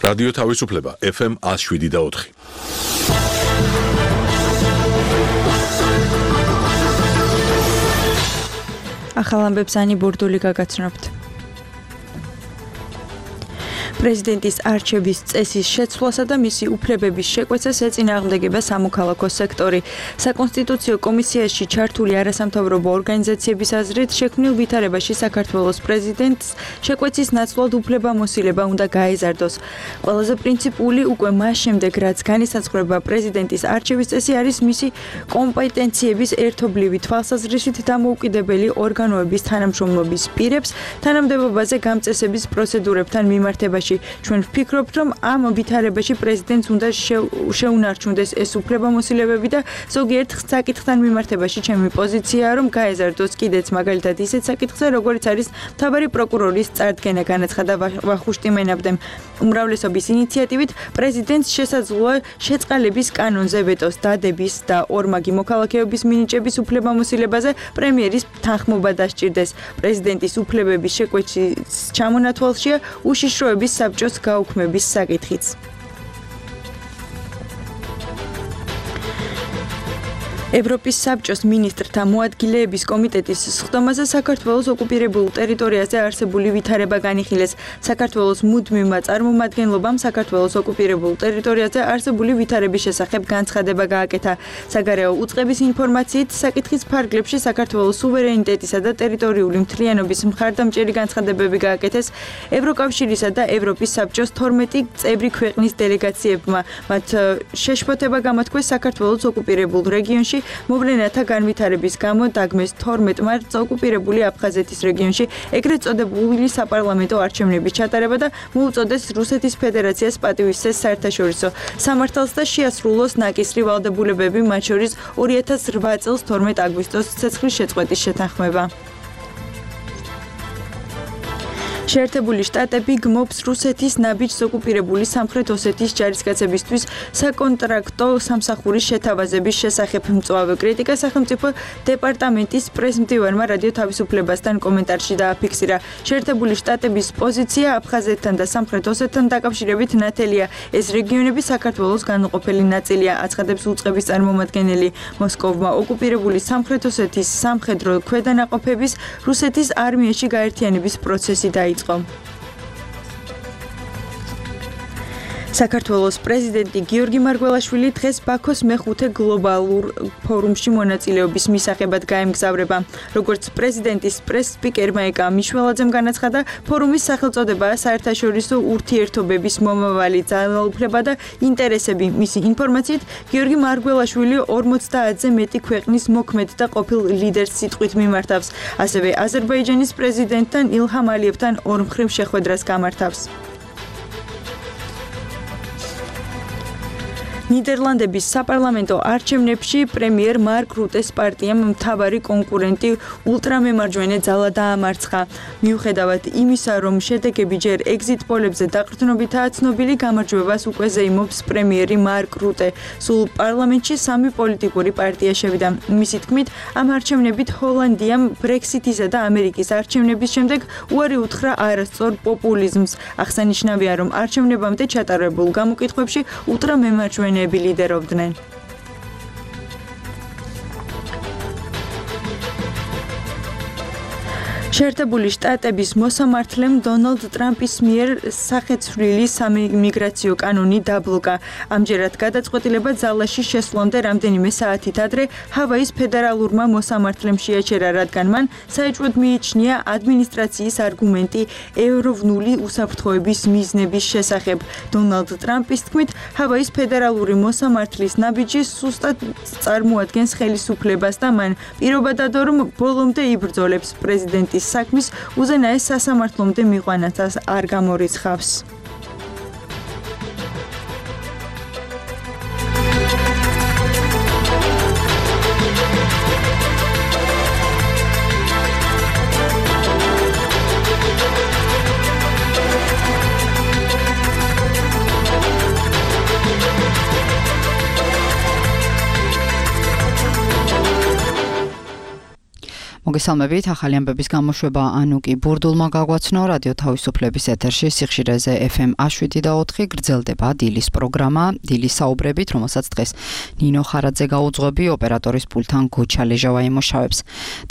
რადიო თავისუფლება FM 107.4. ახალ ამბებს ანი ბურდული გაგაცნობთ. პრეზიდენტის არჩევის წესის შეცვლასა და მისი უფლებების შეკვეცას ეწინააღმდეგება სამოქალაქო სექტორი. საკონსტიტუციო კომისიაში ჩართული არასამთავრობო ორგანიზაციების აზრით, შექმნილ ვითარებაში საქართველოს პრეზიდენტს შეკვეცის ნაცვლად უფლებამოსილება უნდა გაეზარდოს. ყველაზე პრინციპული უკვე მას შემდეგ, რაც განისაზღვრება პრეზიდენტის არჩევის წესი არის მისი კომპეტენციების ერთობლივი თვალსაზრისით დამოუკიდებელი ორგანოების თანამშრომლობის პირებს თანამდებობაზე გამწესების პროცედურებთან მიმართებაში. ჩვენ ვფიქრობთ, რომ ამ ვითარებაში პრეზიდენტს უნდა შეუნარჩუნდეს ეს უფლებამოსილებები და ზოგიერთ საკითხთან მიმართებაში ჩემი პოზიციაა, რომ გაეზარდოს კიდეც მაგალითად ისეთ საკითხზე, როგორც არის მთავარი პროკურორის წარდგენა, განაცხადა ვახუშტი მენაბდემ. უმრავლესობის ინიციატივით პრეზიდენტს შესაძლოა შეწყალების კანონზე ვეტოს დადების და ორმაგი მოქალაქეობის მინიჭების უფლებამოსილებაზე პრემიერის თანხმობა დასჭირდეს. პრეზიდენტის უფლებების შეკვეცის ჩამონათვალშია უშიშროების საბჭოს გაუქმების საკითხიც. ევროპის საბჭოს მინისტრთა მოადგილეების კომიტეტის სხდომაზე საქართველოს ოკუპირებულ ტერიტორიაზე არსებული ვითარება განიხილეს. საქართველოს მუდმივმა წარმომადგენლობამ საქართველოს ოკუპირებულ ტერიტორიაზე არსებული ვითარების შესახებ განცხადება გააკეთა. საგარეო უწყების ინფორმაციით, საკითხის ფარგლებში საქართველოს სუვერენიტეტისა და ტერიტორიული მთლიანობის მხარდამჭერი განცხადებები გააკეთეს ევროკავშირისა და ევროპის საბჭოს 12 წევრი ქვეყნის დელეგაციებმა. მათ შეშფოთება გამოთქვეს საქართველოს ოკუპირებულ რეგიონში მოვლენათა განვითარების გამო დაგმეს 12 მარტს ოკუპირებული აფხაზეთის რეგიონში ეგრეთ წოდებული საპარლამენტო არჩევნების ჩატარება და მოუწოდეს რუსეთის ფედერაციას პატივისცეს საერთაშორისო სამართალს და შეასრულოს ნაკისრი ვალდებულებები, მათ შორის 2008 წელს 12 აგვისტოს ცეცხლის შეწყვეტის შეთანხმება. შეერთებული შტატები გმობს რუსეთის ნაბიჯს ოკუპირებული სამხრეთ ოსეთის ჯარისკაცებისთვის საკონტრაქტო სამსახურის შეთავაზების შესახებ მწვავე კრიტიკა სახელმწიფო დეპარტამენტის პრესმდივარმა რადიო თავისუფლებასთან კომენტარში დააფიქსირა. შეერთებული შტატების პოზიცია აფხაზეთთან და სამხრეთ ოსეთთან დაკავშირებით ნათელია. ეს რეგიონები საქართველოს განუყოფელი ნაწილია, აცხადებს უწყების წარმომადგენელი. მოსკოვმა ოკუპირებული სამხრეთ ოსეთის სამხედრო ქვედანაყოფების რუსეთის არმიაში გაერთიანების პროცესი დაიწყო. საქართველოს პრეზიდენტი გიორგი მარგველაშვილი დღეს ბაქოს მეხუთე გლობალურ ფორუმში მონაწილეობის მისაღებად გაემგზავრება. როგორც პრეზიდენტის პრეს-სპიკერმა ეკა მიშველაძემ განაცხადა, ფორუმის სახელწოდებაა საერთაშორისო ურთიერთობების მომავალი ძალაუფლება და ინტერესები. მისი ინფორმაციით, გიორგი მარგველაშვილი 50-ზე მეტი ქვეყნის მოქმედ და ყოფილ ლიდერს სიტყვით მიმართავს. ასევე აზერბაიჯანის პრეზიდენტთან ილჰამ ალიევთან ორმხრივ შეხვედრას გამართავს. ნიდერლანდების საპარლამენტო არჩევნებში პრემიერ მარკ რუტეს პარტიამ მთავარი კონკურენტი ულტრამემარჯვენე ძალა დაამარცხა. მიუხედავად იმისა, რომ შედეგები ჯერ ეგზიტ პოლებზე დაყრდნობითაა ცნობილი, გამარჯვებას უკვე ზეიმობს პრემიერი მარკ რუტე. სულ პარლამენტში 3 პოლიტიკური პარტია შევიდა. მისი თქმით, ამ არჩევნებით ჰოლანდიამ ბრექსიტისა და ამერიკის არჩევნების შემდეგ უარი უთხრა არასწორ პოპულიზმს. აღსანიშნავია, რომ არჩევნებამდე ჩატარებულ გამოკითხვებში ულტრამემარჯვენე ლიდერობდნენ. შეერთებული შტატების მოსამართლემ დონალდ ტრამპის მიერ სახეცვლილი სამიმიგრაციო კანონი დაბლოკა. ამჯერად გადაწყვეტილება ძალაში შესვლამდე რამდენიმე საათით ადრე ჰავაის ფედერალურმა მოსამართლემ შეაჩერა, რადგან მან საეჭვოდ მიიჩნია ადმინისტრაციის არგუმენტი ევროვნული უსაფრთხოების მიზნების შესახებ. დონალდ ტრამპის თქმით, ჰავაის ფედერალური მოსამართლის ნაბიჯი სუსტად წარმოადგენს ხელისუფლებას და მან პირობა დადო, რომ ბოლომდე იბრძოლებს პრეზიდენტის საქმის უზენაეს სასამართლომდე მიყვანათას არ გამორიცხავს. მოგესალმებით, ახალი ამბების გამოშვება ანუკი ბურდულმა გაგვაცნო რადიო თავისუფლების ეთერში სიხშირეზე FM 7.4 გრძელდება დილის პროგრამა, დილის საუბრებით, რომელსაც დღეს ნინო ხარაძე გაუძღვები, ოპერატორის პულთან გოჩა ლეჟავა იმუშავებს.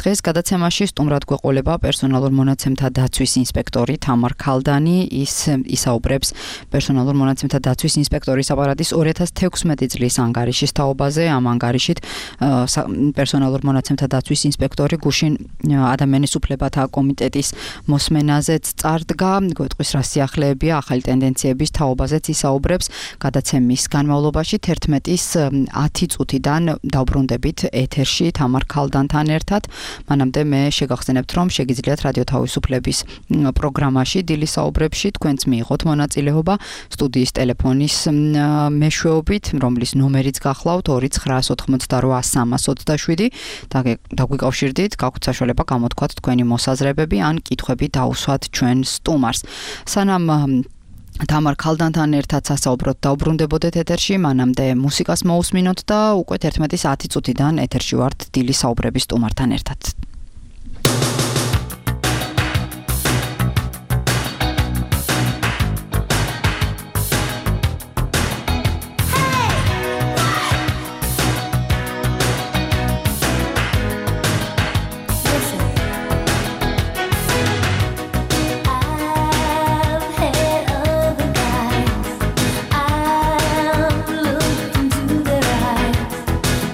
დღეს გადაცემაში სტუმრად გვეყოლება პერსონალურ მონაცემთა დაცვის ინსპექტორი თამარ ქალდანი, ის ისაუბრებს პერსონალურ მონაცემთა დაცვის ინსპექტორის აპარატის 2016 წლის ანგარიშის თაობაზე, ამ ანგარიშით პერსონალურ მონაცემთა დაცვის ინსპექტორი გუშინ ადამიანის უფლებათა კომიტეტის მოსმენაზეც წარდგა, გვეტყვის რა სიახლეებია ახალი ტენდენციების თაობაზეც ისაუბრებს. გადაცემის განმავლობაში 11-ის 10 წუთიდან დავბრუნდებით ეთერში თამარ ქალდანთან ერთად. მანამდე მე შეგახსენებთ, რომ შეგიძლიათ რადიო თავისუფლების პროგრამაში დილის საუბრებში თქვენც მიიღოთ მონაწილეობა სტუდიის ტელეფონის მეშვეობით, რომლის ნომერიც გახლავთ 2988327 დაგვიკავშირდით, გაქვთ საშუალება გამოთქვათ თქვენი მოსაზრებები ან კითხვები დაუსვათ ჩვენ სტუმარს. სანამ თამარ ქალდანთან ერთად სასაუბროდ დავბრუნდებოდეთ ეთერში, მანამდე მუსიკას მოусმინოთ და უკვე 11-ის 10 წუთიდან ეთერში ვართ დილის საუბრების სტუმართან ერთად.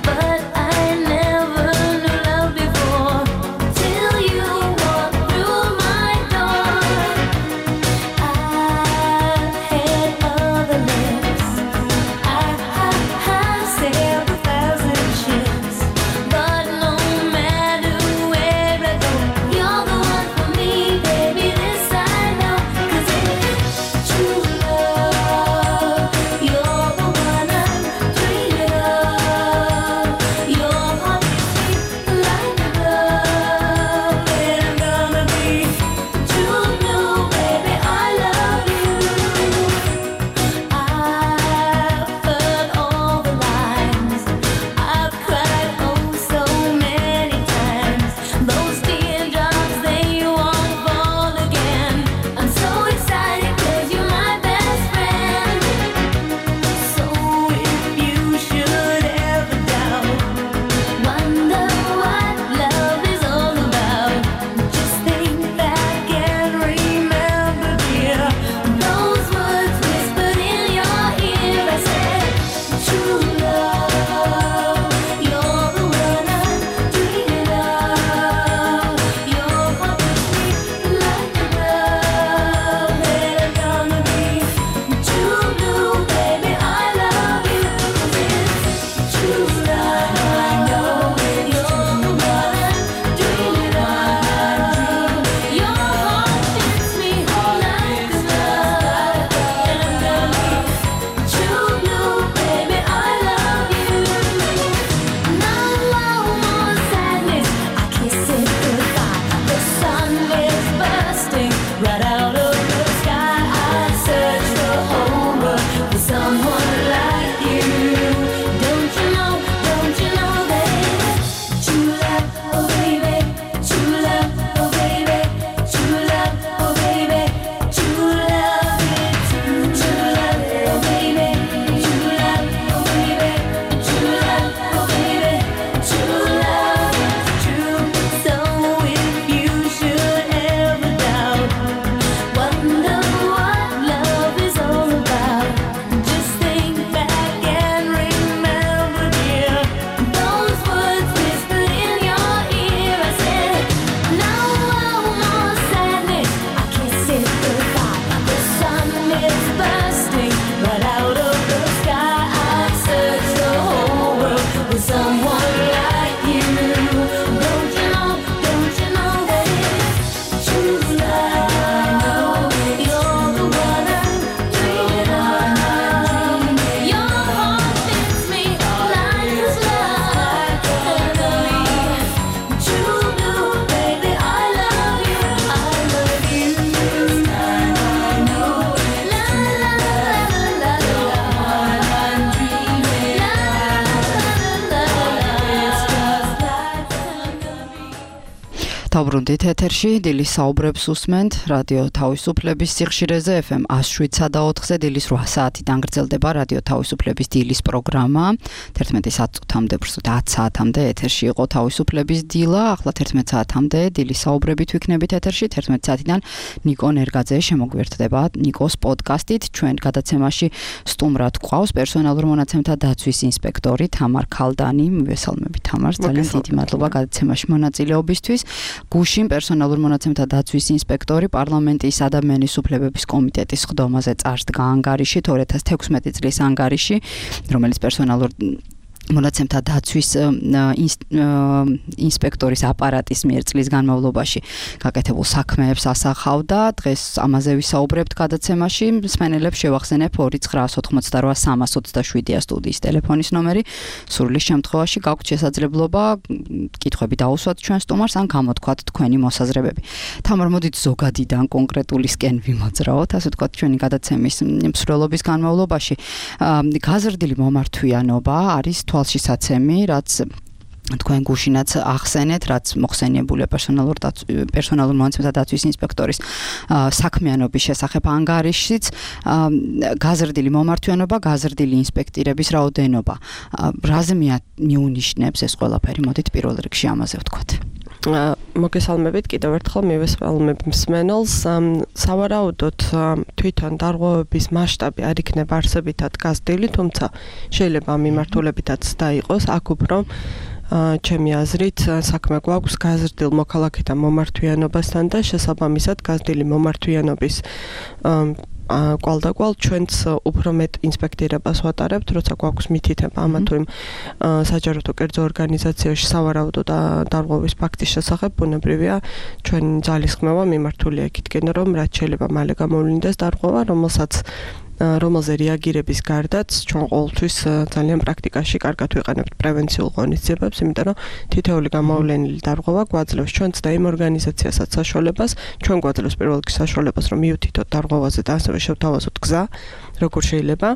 But I never knew love before. დაბრუნდით ეთერში, დილის საუბრებს უსმენთ, რადიო თავისუფლების სიხშირეზე FM 107.4-ზე დილის 8 საათიდან გრძელდება რადიო თავისუფლების დილის პროგრამა. 11 საათამდე, უბრალოდ 10 საათამდე ეთერში იყო თავისუფლების დილა, ახლა 11 საათამდე დილის საუბრებით ვიქნებით ეთერში, 11 საათიდან ნიკო ნერგაძე შემოგვიერთდება ნიკოს პოდკასტით. ჩვენ გადაცემაში სტუმრად გვყავს პერსონალურ მონაცემთა დაცვის ინსპექტორი თამარ ქალდანი. მივესალმებით თამარს, ძალიან დიდი მადლობა გადაცემაში მონაწილეობისთვის. გუშინ პერსონალურ მონაცემთა დაცვის ინსპექტორი პარლამენტის ადამიანის უფლებების კომიტეტის ხდომაზე წარსდგა ანგარიში 2016 წლის ანგარიში, რომელიც პერსონალურ მონაცემთა დაცვის ინსპექტორის აპარატის მიერ წლის განმავლობაში გაკეთებულ საქმეებს ასახავდა. დღეს ამაზე ვისაუბრებთ გადაცემაში. მსმენელებს შევახსენებ 2988327 სტუდიის ტელეფონის ნომერი. სურვილის შემთხვევაში გაქვთ შესაძლებლობა კითხვები დაუსვათ ჩვენ სტუმარს ან გამოთქვათ თქვენი მოსაზრებები. თამარ, მოდით ზოგადიდან კონკრეტულისკენ ვიმოძრაოთ, ასე ვთქვათ, ჩვენი გადაცემის მსვლელობის განმავლობაში. გაზრდილი მომართვიანობა არის თვალშისაცემი, რაც თქვენ გუშინაც ახსენეთ, რაც მოხსენიებულია პერსონალურ მონაცემთა დაცვის ინსპექტორის საქმიანობის შესახებ ანგარიშიც, გაზრდილი მომართვიანობა, გაზრდილი ინსპექტირების რაოდენობა. რაზე მიუნიშნებს ეს ყველაფერი? მოდით პირველ რიგში ამაზე ვთქვათ. მოგესალმებით, კიდევ ერთხელ მივესალმებ მსმენელს. სავარაუდოდ თვითონ დარღვევების მასშტაბი არ იქნება არსებითად გაზრდილი, თუმცა შეიძლება მიმართულებითაც დაიყოს. აქ უფრო ჩემი აზრით საქმე გვაქვს გაზრდილ მოქალაქეთა მომართვიანობასთან და შესაბამისად გაზრდილი მომართვიანობის კვალდაკვალ ჩვენც უფრო მეტ ინსპექტირებას ვატარებთ, როცა გვაქვს მითითება ამა თუ იმ საჯაროდო კერძო ორგანიზაციაში სავარაუდო დარღვევის ფაქტის შესახებ, ბუნებრივია ჩვენი ძალისხმევა მიმართულია იქითკენ, რომ რაც შეიძლება მალე გამოვლინდეს დარღვევა, რომელზე რეაგირების გარდაც ჩვენ ყოველთვის ძალიან პრაქტიკაში კარგად ვიყენებთ პრევენციულ ღონისძიებებს, იმიტომ რომ თითოეული გამოვლენილი დარღვევა გვაძლევს ჩვენც და იმ ორგანიზაციასაც საშუალებას, ჩვენ გვაძლევს პირველ რიგში საშუალებას, რომ მივთითოთ დარღვევაზე და ასევე შევთავაზოთ გზა, როგორ შეიძლება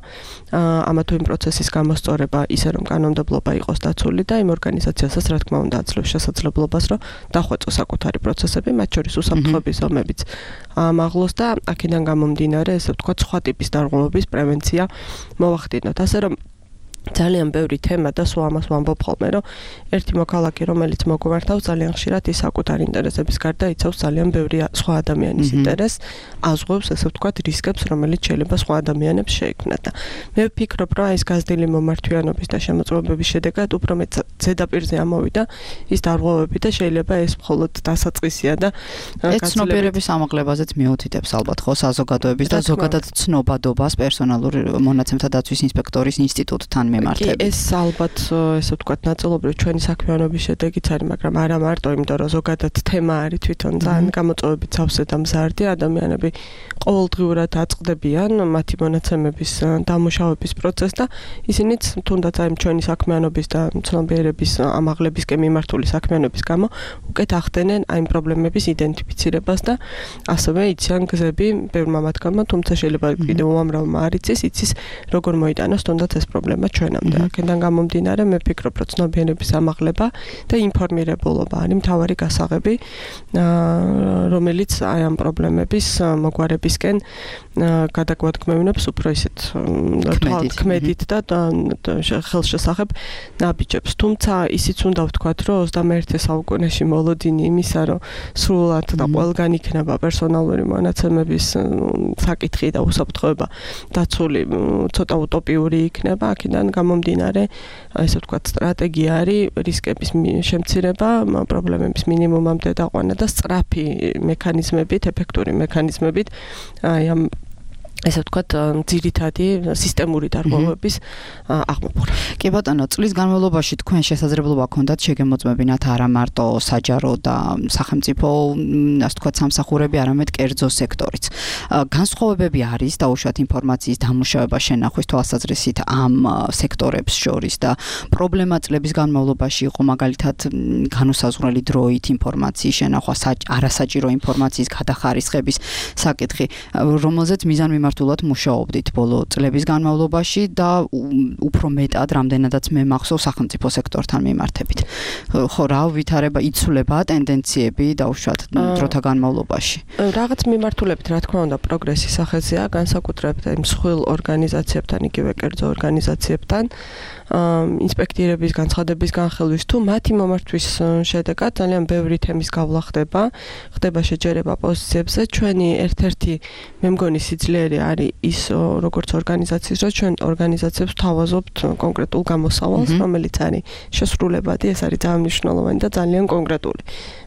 ამა თუ იმ პროცესის გამოსწორება ისე რომ კანონმდებლობა იყოს დაცული და იმ ორგანიზაციასაც რა თქმა უნდა აძლევს შესაძლებლობას, რომ დახვეწოს საკუთარი პროცესები, მათ შორის უსაფრთხოების ზომებიც ამაღლოს და აქედან გამომდინარე, ესე ვთქვათ, სხვა ტიპის დარღვევების პრევენცია მოვახდინოთ. ასე რომ ძალიან ბევრი თემა და სულ ამას ვამბობ ხოლმე, რომ ერთი მოქალაქე, რომელიც მოგვმართავს, ძალიან ხშირად ის საკუთარი ინტერესების გარდა იცავს ძალიან ბევრი სხვა ადამიანის ინტერესს, აზღვევს, ესე ვთქვათ, რისკებს, რომელიც შეიძლება სხვა ადამიანებს შეექმნათ. და მე ვფიქრობ, რომ ეს გაზრდილი მომართვიანობის და შემოწმებების შედეგად უფრო მეტ ზედაპირზე ამოვიდა ის დარღვევები და შეიძლება ეს მხოლოდ დასაწყისია და ცნობიერების ამაღლებაზეც მიუთითებს ალბათ ხო საზოგადოების და ზოგადად ცნობადობას პერსონალურ მონაცემთა დაცვის ინსპექტორის ინსტიტუტთან კი, ეს ალბათ, ესე ვთქვათ, ნაწილობრივ ჩვენი საქმიანობის შედეგიც არის, მაგრამ არა მარტო, იმიტომ რომ ზოგადად თემა არის თვითონ ძალიან გამოწვევებით სავსე და მზარდი, ადამიანები ყოველდღიურად აწყდებიან მათი მონაცემების დამუშავების პროცესს და ისინიც თუნდაც აი ჩვენი საქმიანობის და ცნობიერების ამაღლებისკენ მიმართული საქმიანობის გამო უკეთ ახდენენ აი პრობლემების იდენტიფიცირებას და ასევე იციან გზები ბევრმა მათგანმა, თუმცა შეიძლება კიდევ უამრავმა არ იცის როგორ მოიტანოს თუნდაც ეს პრობლემა ჩვენამდე. აქედან გამომდინარე, მე ვფიქრობ, რომ ცნობიერების ამაღლება და ინფორმირებულობა არის მთავარი გასაღები, რომელიც აი ამ პრობლემების მოგვარებისკენ გადაგვადგმევინებს უფრო ისეთ ქმედით და ხელშესახებ ნაბიჯებს. თუმცა ისიც უნდა ვთქვათ, რომ 21 საუკუნეში მოლოდინი იმისა, რომ სრულად და ყველგან იქნება პერსონალური მონაცემების საკითხი და უსაფრთხოება დაცული ცოტა უტოპიური იქნება. აქედან გამომდინარე, ესე ვთქვათ, სტრატეგია არის რისკების შემცირება, პრობლემების მინიმუმამდე დაყვანა და სწრაფი მექანიზმებით, ეფექტური მექანიზმებით აი ამ ესე ვთქვათ, ძირითადი სისტემური დარღვევების აღმოფხვრა. კი ბატონო, წლის განმავლობაში თქვენ შესაძლებლობა გქონდათ შეგემოწმებინათ არა მარტო საჯარო და სახელმწიფო, ასე ვთქვათ, სამსახურები, არამედ კერძო სექტორიც. განსხვავებები არის დაუშვათ ინფორმაციის დამუშავება შენახვის თვალსაზრისით ამ სექტორებს შორის და პრობლემა წლების განმავლობაში იყო მაგალითად განუსაზღვრელი დროით ინფორმაციის შენახვა, არასაჭირო ინფორმაციის გადახარისხების საკითხი, რომელზეც მიზანმიმართველი მიმართულად მუშაობდით ბოლო წლების განმავლობაში და უფრო მეტად რამდენადაც მე მახსოვს სახელმწიფო სექტორთან მიმართებით. ხო, რა ვითარება იცვლება ტენდენციები დაუშვათ დროთა განმავლობაში. რაღაც მიმართულებით რა თქმა უნდა პროგრესის სახეზეა, განსაკუთრებით იმ მსხვილ ორგანიზაციებთან, იგივე კერძო ორგანიზაციებთან, ინსპექტირების განცხადების განხილვის თუ მათი მომართვის შედეგად ძალიან ბევრი თემის გავლა ხდება შეჯერება პოზიციებზე. ჩვენი ერთ-ერთი მე მგონი სიძლიერე არის ის როგორც ორგანიზაციის, რომ ჩვენ ორგანიზაციებს თავაზობთ კონკრეტულ გამოსავალს, რომელიც არის შესრულებადი, ეს არის ძალიან მნიშვნელოვანი და ძალიან კონკრეტული.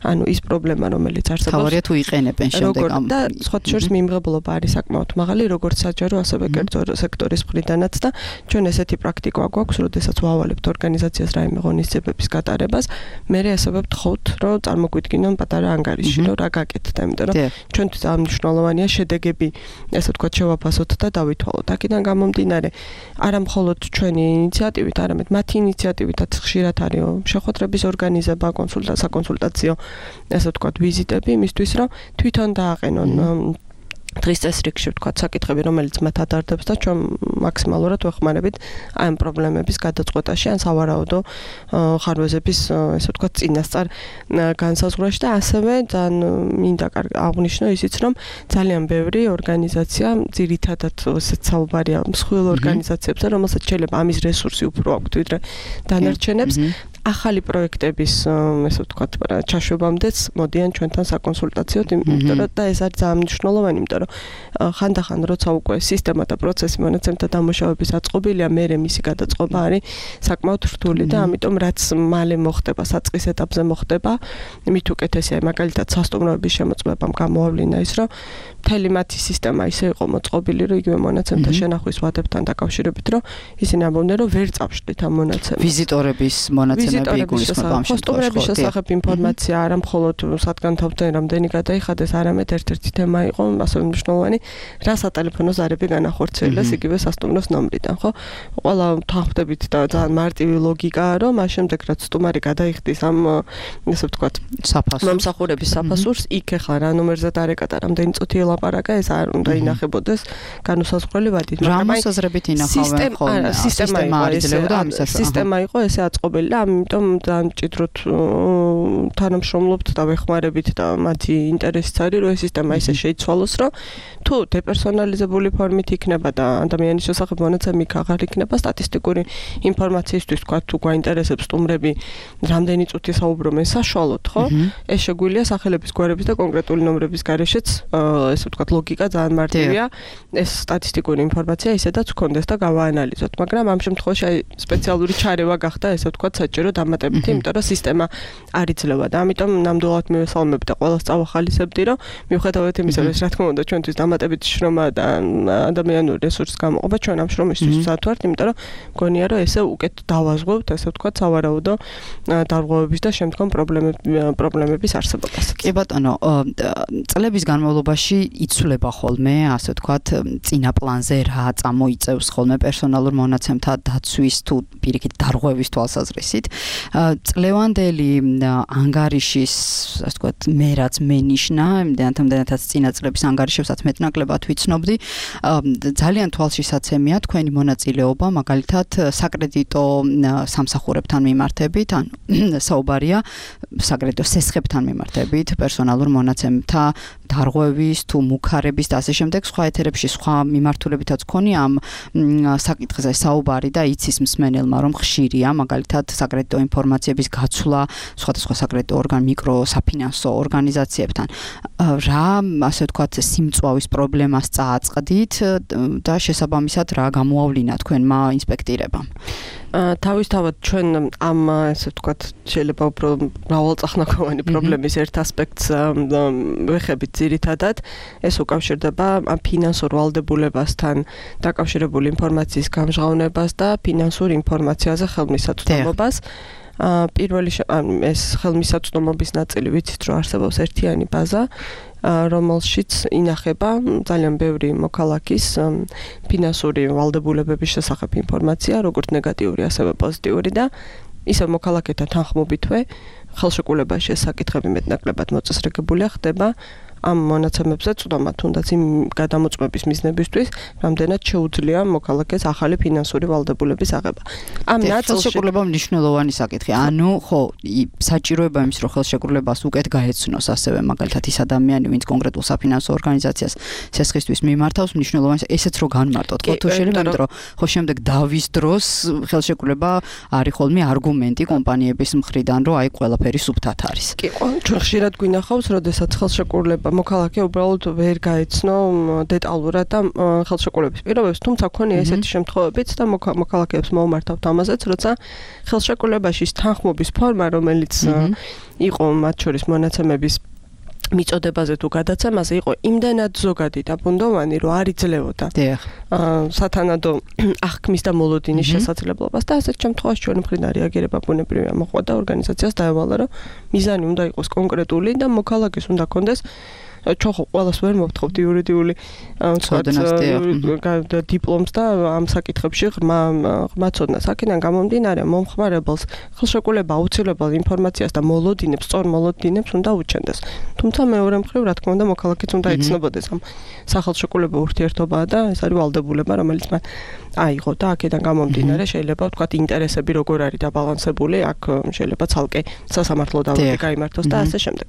ანუ ის პრობლემა, რომელიც არსებობს. თავარია თუ იყენებენ შემდეგ ამ და სხვა შორის მიმღებლობა არის საკმაოდ მაღალი, როგორც საჯარო, ასევე კერძო სექტორის მხრიდანაც და ჩვენ ესეთი პრაქტიკა გვაქვს, როდესაც ვავალებთ ორგანიზაციას რაიმე ღონისძიებების გატარებას, მე ასევე ვთხოვთ, რომ წარმოგვიდგინონ პატარა ანგარიში, რომ რა გაკეთდა, იმიტომ რომ ჩვენთვის ძალიან მნიშვნელოვანია შედეგები, ესე ვთქვათ, შევაფასოთ და დავითვალოთ. აქედან გამომდინარე, არა მხოლოდ ჩვენი ინიციატივით, არამედ მათი ინიციატივითაც ხშირად არის შეხვედრების ორგანიზება, საკონსულტაციო, ესე ვთქვათ, ვიზიტები იმისთვის, რომ თვითონ დააყენონ დღის წესრიგში ვთქვათ საკითხები, რომელიც მათ ადარდებს და ჩვენ მაქსიმალურად ვეხმარებით ამ პრობლემების გადაწყვეტაში, ან სავარაუდო ხარვეზების, ესე ვთქვათ, წინასწარ განსაზღვრაში და ასევე ძალიან მინდა აღვნიშნო ისიც, რომ ძალიან ბევრი ორგანიზაცია, ძირითადად ესეც საუბარია მსხვილ ორგანიზაციებზე, რომელსაც შეიძლება ამის რესურსი უფრო აქვთ ვიდრე დანარჩენებს. ახალი პროექტების, ესე ვთქვათ, ჩაშვებამდეც მოდიან ჩვენთან საკონსულტაციოდ, იმიტომ რომ და ეს არის ძალიან მნიშვნელოვანი, იმიტომ რომ ხანდახან როცა უკვე სისტემა და პროცესი მონაცემთა დამუშავების აწყობილია, მერე მისი გადაწყობა არის საკმაოდ რთული და ამიტომ რაც მალე მოხდება, საწყის ეტაპზე მოხდება, მით უკეთესია, მაგალითად სასტუმროების შემოწმებამ გამოავლინა ის, რომ მთელი მათი სისტემა ისე იყო მოწყობილი, რომ იგივე მონაცემთა შენახვის ვადებთან დაკავშირებით, რომ ისინი ამბობდნენ, რომ ვერ წავშლით ამ მონაცემებს. ვიზიტორების მონაცემები ხოსტუმრების შესახებ ინფორმაცია არა მხოლოდ სადგან თავთან რამდენი გადაიხადეს, არამედ ერთ-ერთი თემა იყო ასევე მნიშვნელოვანი, რა სატელეფონო ზარები განახორციელეს იგივე სასტუმროს ნომრიდან, ხო? ყველა თანხმდებით და ძალიან მარტივი ლოგიკაა, რომ მას შემდეგ რაც სტუმარი გადაიხდის ამ, ესე ვთქვათ, მომსახურების საფასურს, იქ ახლა რა ნომერზე დარეკა და რამდენი წუთი ელაპარაკა, ეს არ უნდა ინახებოდეს განუსაზღვრელი ვადით, მაგრამ რა მოსაზრებით ინახავენ ხოლმე? სისტემა იყო ესე აწყობილი და ამიტომ ძალიან მჭიდროდ თანამშრომლობთ და ვეხმარებით და მათი ინტერესიც არის, რომ ეს სისტემა ისე შეიცვალოს, რომ თუ დეპერსონალიზებული ფორმით იქნება და ადამიანის შესახებ მონაცემი აღარ იქნება, სტატისტიკური ინფორმაციისთვის თქვა თუ გვაინტერესებს სტუმრები რამდენი წუთი საუბრობენ საშუალოდ, ხო? ეს შეგვიძლია სახელების გვარების და კონკრეტული ნომრების გარეშეც, ესე ვთქვათ, ლოგიკა ძალიან მარტივია. ეს სტატისტიკური ინფორმაცია ისედაც გქონდეს და გავაანალიზოთ, მაგრამ ამ შემთხვევაში სპეციალური ჩარევა გახდა, ესე ვთქვათ, საჭირო დამატებითი, იმიტომ რომ სისტემა არ იძლევა და ამიტომ ნამდვილად მივესალმებ და ყველას წავახალისებდი, რომ მიუხედავად იმისა, რომ რა თქმა უნდა ჩვენთვის დამატებითი შრომა და ადამიანური რესურსის გამოყოფა ჩვენ ამ შრომისთვის ვსად ვართ, იმიტომ რომ მგონია, რომ ესე უკეთ დავაზღვევთ, ესე ვთქვათ, სავარაუდო დარღვევების და შემდგომ პრობლემების არსებობას. კი ბატონო, წლების განმავლობაში იცვლება ხოლმე, ასე ვთქვათ, წინა პლანზე რა წამოიწევს ხოლმე პერსონალურ მონაცემთა დაცვის თუ პირიქით დარღვევის თვალსაზრისით. წლევანდელი ანგარიშის, ასე ვთქვათ, მე რაც მენიშნა, იმდენათაც წინა წლების ანგარიშებსაც მეტნაკლებად ვიცნობდი, ძალიან თვალშისაცემია თქვენი მონაწილეობა, მაგალითად, საკრედიტო სამსახურებთან მიმართებით, ან საუბარია საკრედიტო სესხებთან მიმართებით, პერსონალურ მონაცემთა დარღვევის თუ მუქარების და ასე შემდეგ, სხვა ეთერებში სხვა მიმართულებითაც გქონია ამ საკითხზე საუბარი და იცის მსმენელმა, რომ ხშირია, მაგალითად, საკრედიტო ინფორმაციების გაცვლა სხვადასხვა საკრედიტო მიკროსაფინანსო ორგანიზაციებთან. რა, ასე ვთქვათ, სიმწვავის პრობლემას წააწყდით და შესაბამისად რა გამოავლინა თქვენმა ინსპექტირებამ? თავისთავად ჩვენ ამ, ესე ვთქვათ, შეიძლება უფრო მრავალწახნაგოვანი პრობლემის ერთ ასპექტს ვეხებით ძირითადად, ეს უკავშირდება ფინანსურ ვალდებულებასთან დაკავშირებული ინფორმაციის გამჟღავნებას და ფინანსურ ინფორმაციაზე ხელმისაწვდომობას. პირველი ეს ხელმისაწვდომობის ნაწილი ვიცით, რომ არსებობს ერთიანი ბაზა, რომელშიც ინახება ძალიან ბევრი მოქალაქის ფინანსური ვალდებულებების შესახებ ინფორმაცია, როგორც ნეგატიური, ასევე პოზიტიური და ისე მოქალაქეთა თანხმობითვე ხელშეკრულებაში ეს საკითხები მეტნაკლებად მოწესრიგებულია, ხდება ამ მონაცემებზე წვდომა, თუნდაც იმ გადამოწმების მიზნებისთვის, რამდენად შეუძლია მოქალაქეს ახალი ფინანსური ვალდებულების აღება. ამ ნაწილში ხელშეკრულება მნიშვნელოვანი საკითხი. ანუ ხო, საჭიროება იმის რომ ხელშეკრულებას უკეთ გაეცნოს ასევე მაგალითად ის ადამიანი, ვინც კონკრეტულ საფინანსო ორგანიზაციას სესხისთვის მიმართავს, მნიშვნელოვანი ესეც რო განმარტოთ. ხო თუ შეიძლება, იმიტომ რომ ხო შემდეგ დავის დროს ხელშეკრულება არის ხოლმე არგუმენტი კომპანიების მხრიდან, რომ აი ყველაფერი სუფთად არის. კი, ჩვენ ხშირად გვინახავს, როდესაც ხელშეკრულება მოქალაქე უბრალოდ ვერ გაეცნო დეტალურად და ხელშეკრულების პირობებს, თუმცა ქონია ესეთი შემთხვევებიც და მოქალაქეებს მოუმართავთ ამაზეც, როცა ხელშეკრულებაში თანხმობის ფორმა, რომელიც იყო მათ შორის მონაცემების მიწოდებაზე თუ გადაცემაზე იყო იმდენად ზოგადი და ბუნდოვანი, რომ არ იძლეოდა სათანადო აღქმის და მოლოდინის შესაძლებლობას და ასეთ შემთხვევაში ჩვენი მხრიდან რეაგირება ბუნებრივია მოყვა და ორგანიზაციას დაევალა, რომ მიზანი უნდა იყოს კონკრეტული და მოქალაქეს უნდა კონდეს ჩვენ ხო ყველას ვერ მოვთხოვთ იურიდიული დიპლომს და ამ საკითხებში ღრმა ცოდნას. აქედან გამომდინარე მომხმარებელს ხელშეკრულება აუცილებელ ინფორმაციას და მოლოდინებს, სწორ მოლოდინებს უნდა უჩენდეს. თუმცა მეორე მხრივ, რა თქმა უნდა, მოქალაქეც უნდა იცნობოდეს ამ სახელშეკრულებო ურთიერთობაა და ეს არის ვალდებულება, რომელიც მან აიღო და აქედან გამომდინარე შეიძლება ვთქვათ ინტერესები როგორ არის დაბალანსებული, აქ შეიძლება ცალკე სასამართლო დავითი გაიმართოს და ასე შემდეგ.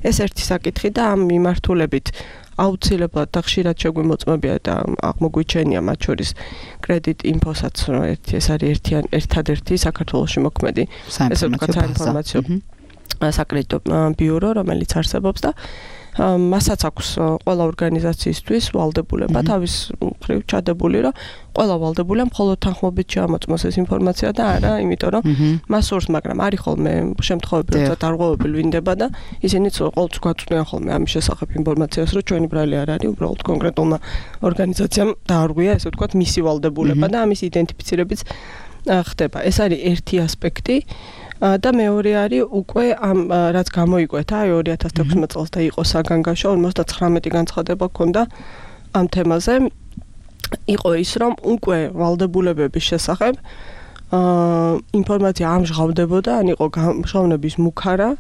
ეს ერთი საკითხი და ამ მიმართულებით აუცილებლად და ხშირად შეგვიმოწმებია და აღმოგვიჩენია მათ შორის კრედიტ ინფოსაც ეს არის ერთადერთი საქართველოში მოქმედი ესე ვთქვათ საინფორმაციო საკრედიტო ბიურო, რომელიც არსებობს და მასაც აქვს ყველა ორგანიზაციისთვის ვალდებულება თავის მხრივ ჩადებული, რომ ყველა ვალდებულია მხოლოდ თანხმობით შეამოწმოს ეს ინფორმაცია და არა, იმიტომ რომ მას სურს, მაგრამ არის ხოლმე შემთხვევები, როცა დარღვევები ვლინდება და ისინიც ყოველთვის გვაწვდიან ხოლმე ამის შესახებ ინფორმაციას, რომ ჩვენი ბრალი არ არის, უბრალოდ კონკრეტულმა ორგანიზაციამ დაარღვია, ესე ვთქვათ, მისი ვალდებულება და ამის იდენტიფიცირებიც ხდება. ეს არის ერთი ასპექტი. და მეორე არის უკვე ამ რაც გამოიკვეთა 2016 წელს და იყო საგანგაშო 59 განცხადება ჰქონდა ამ თემაზე იყო ის რომ უკვე ვალდებულებების შესახებ ინფორმაცია ამჟღავდებოდა ან იყო გამჟღავნების მუქარა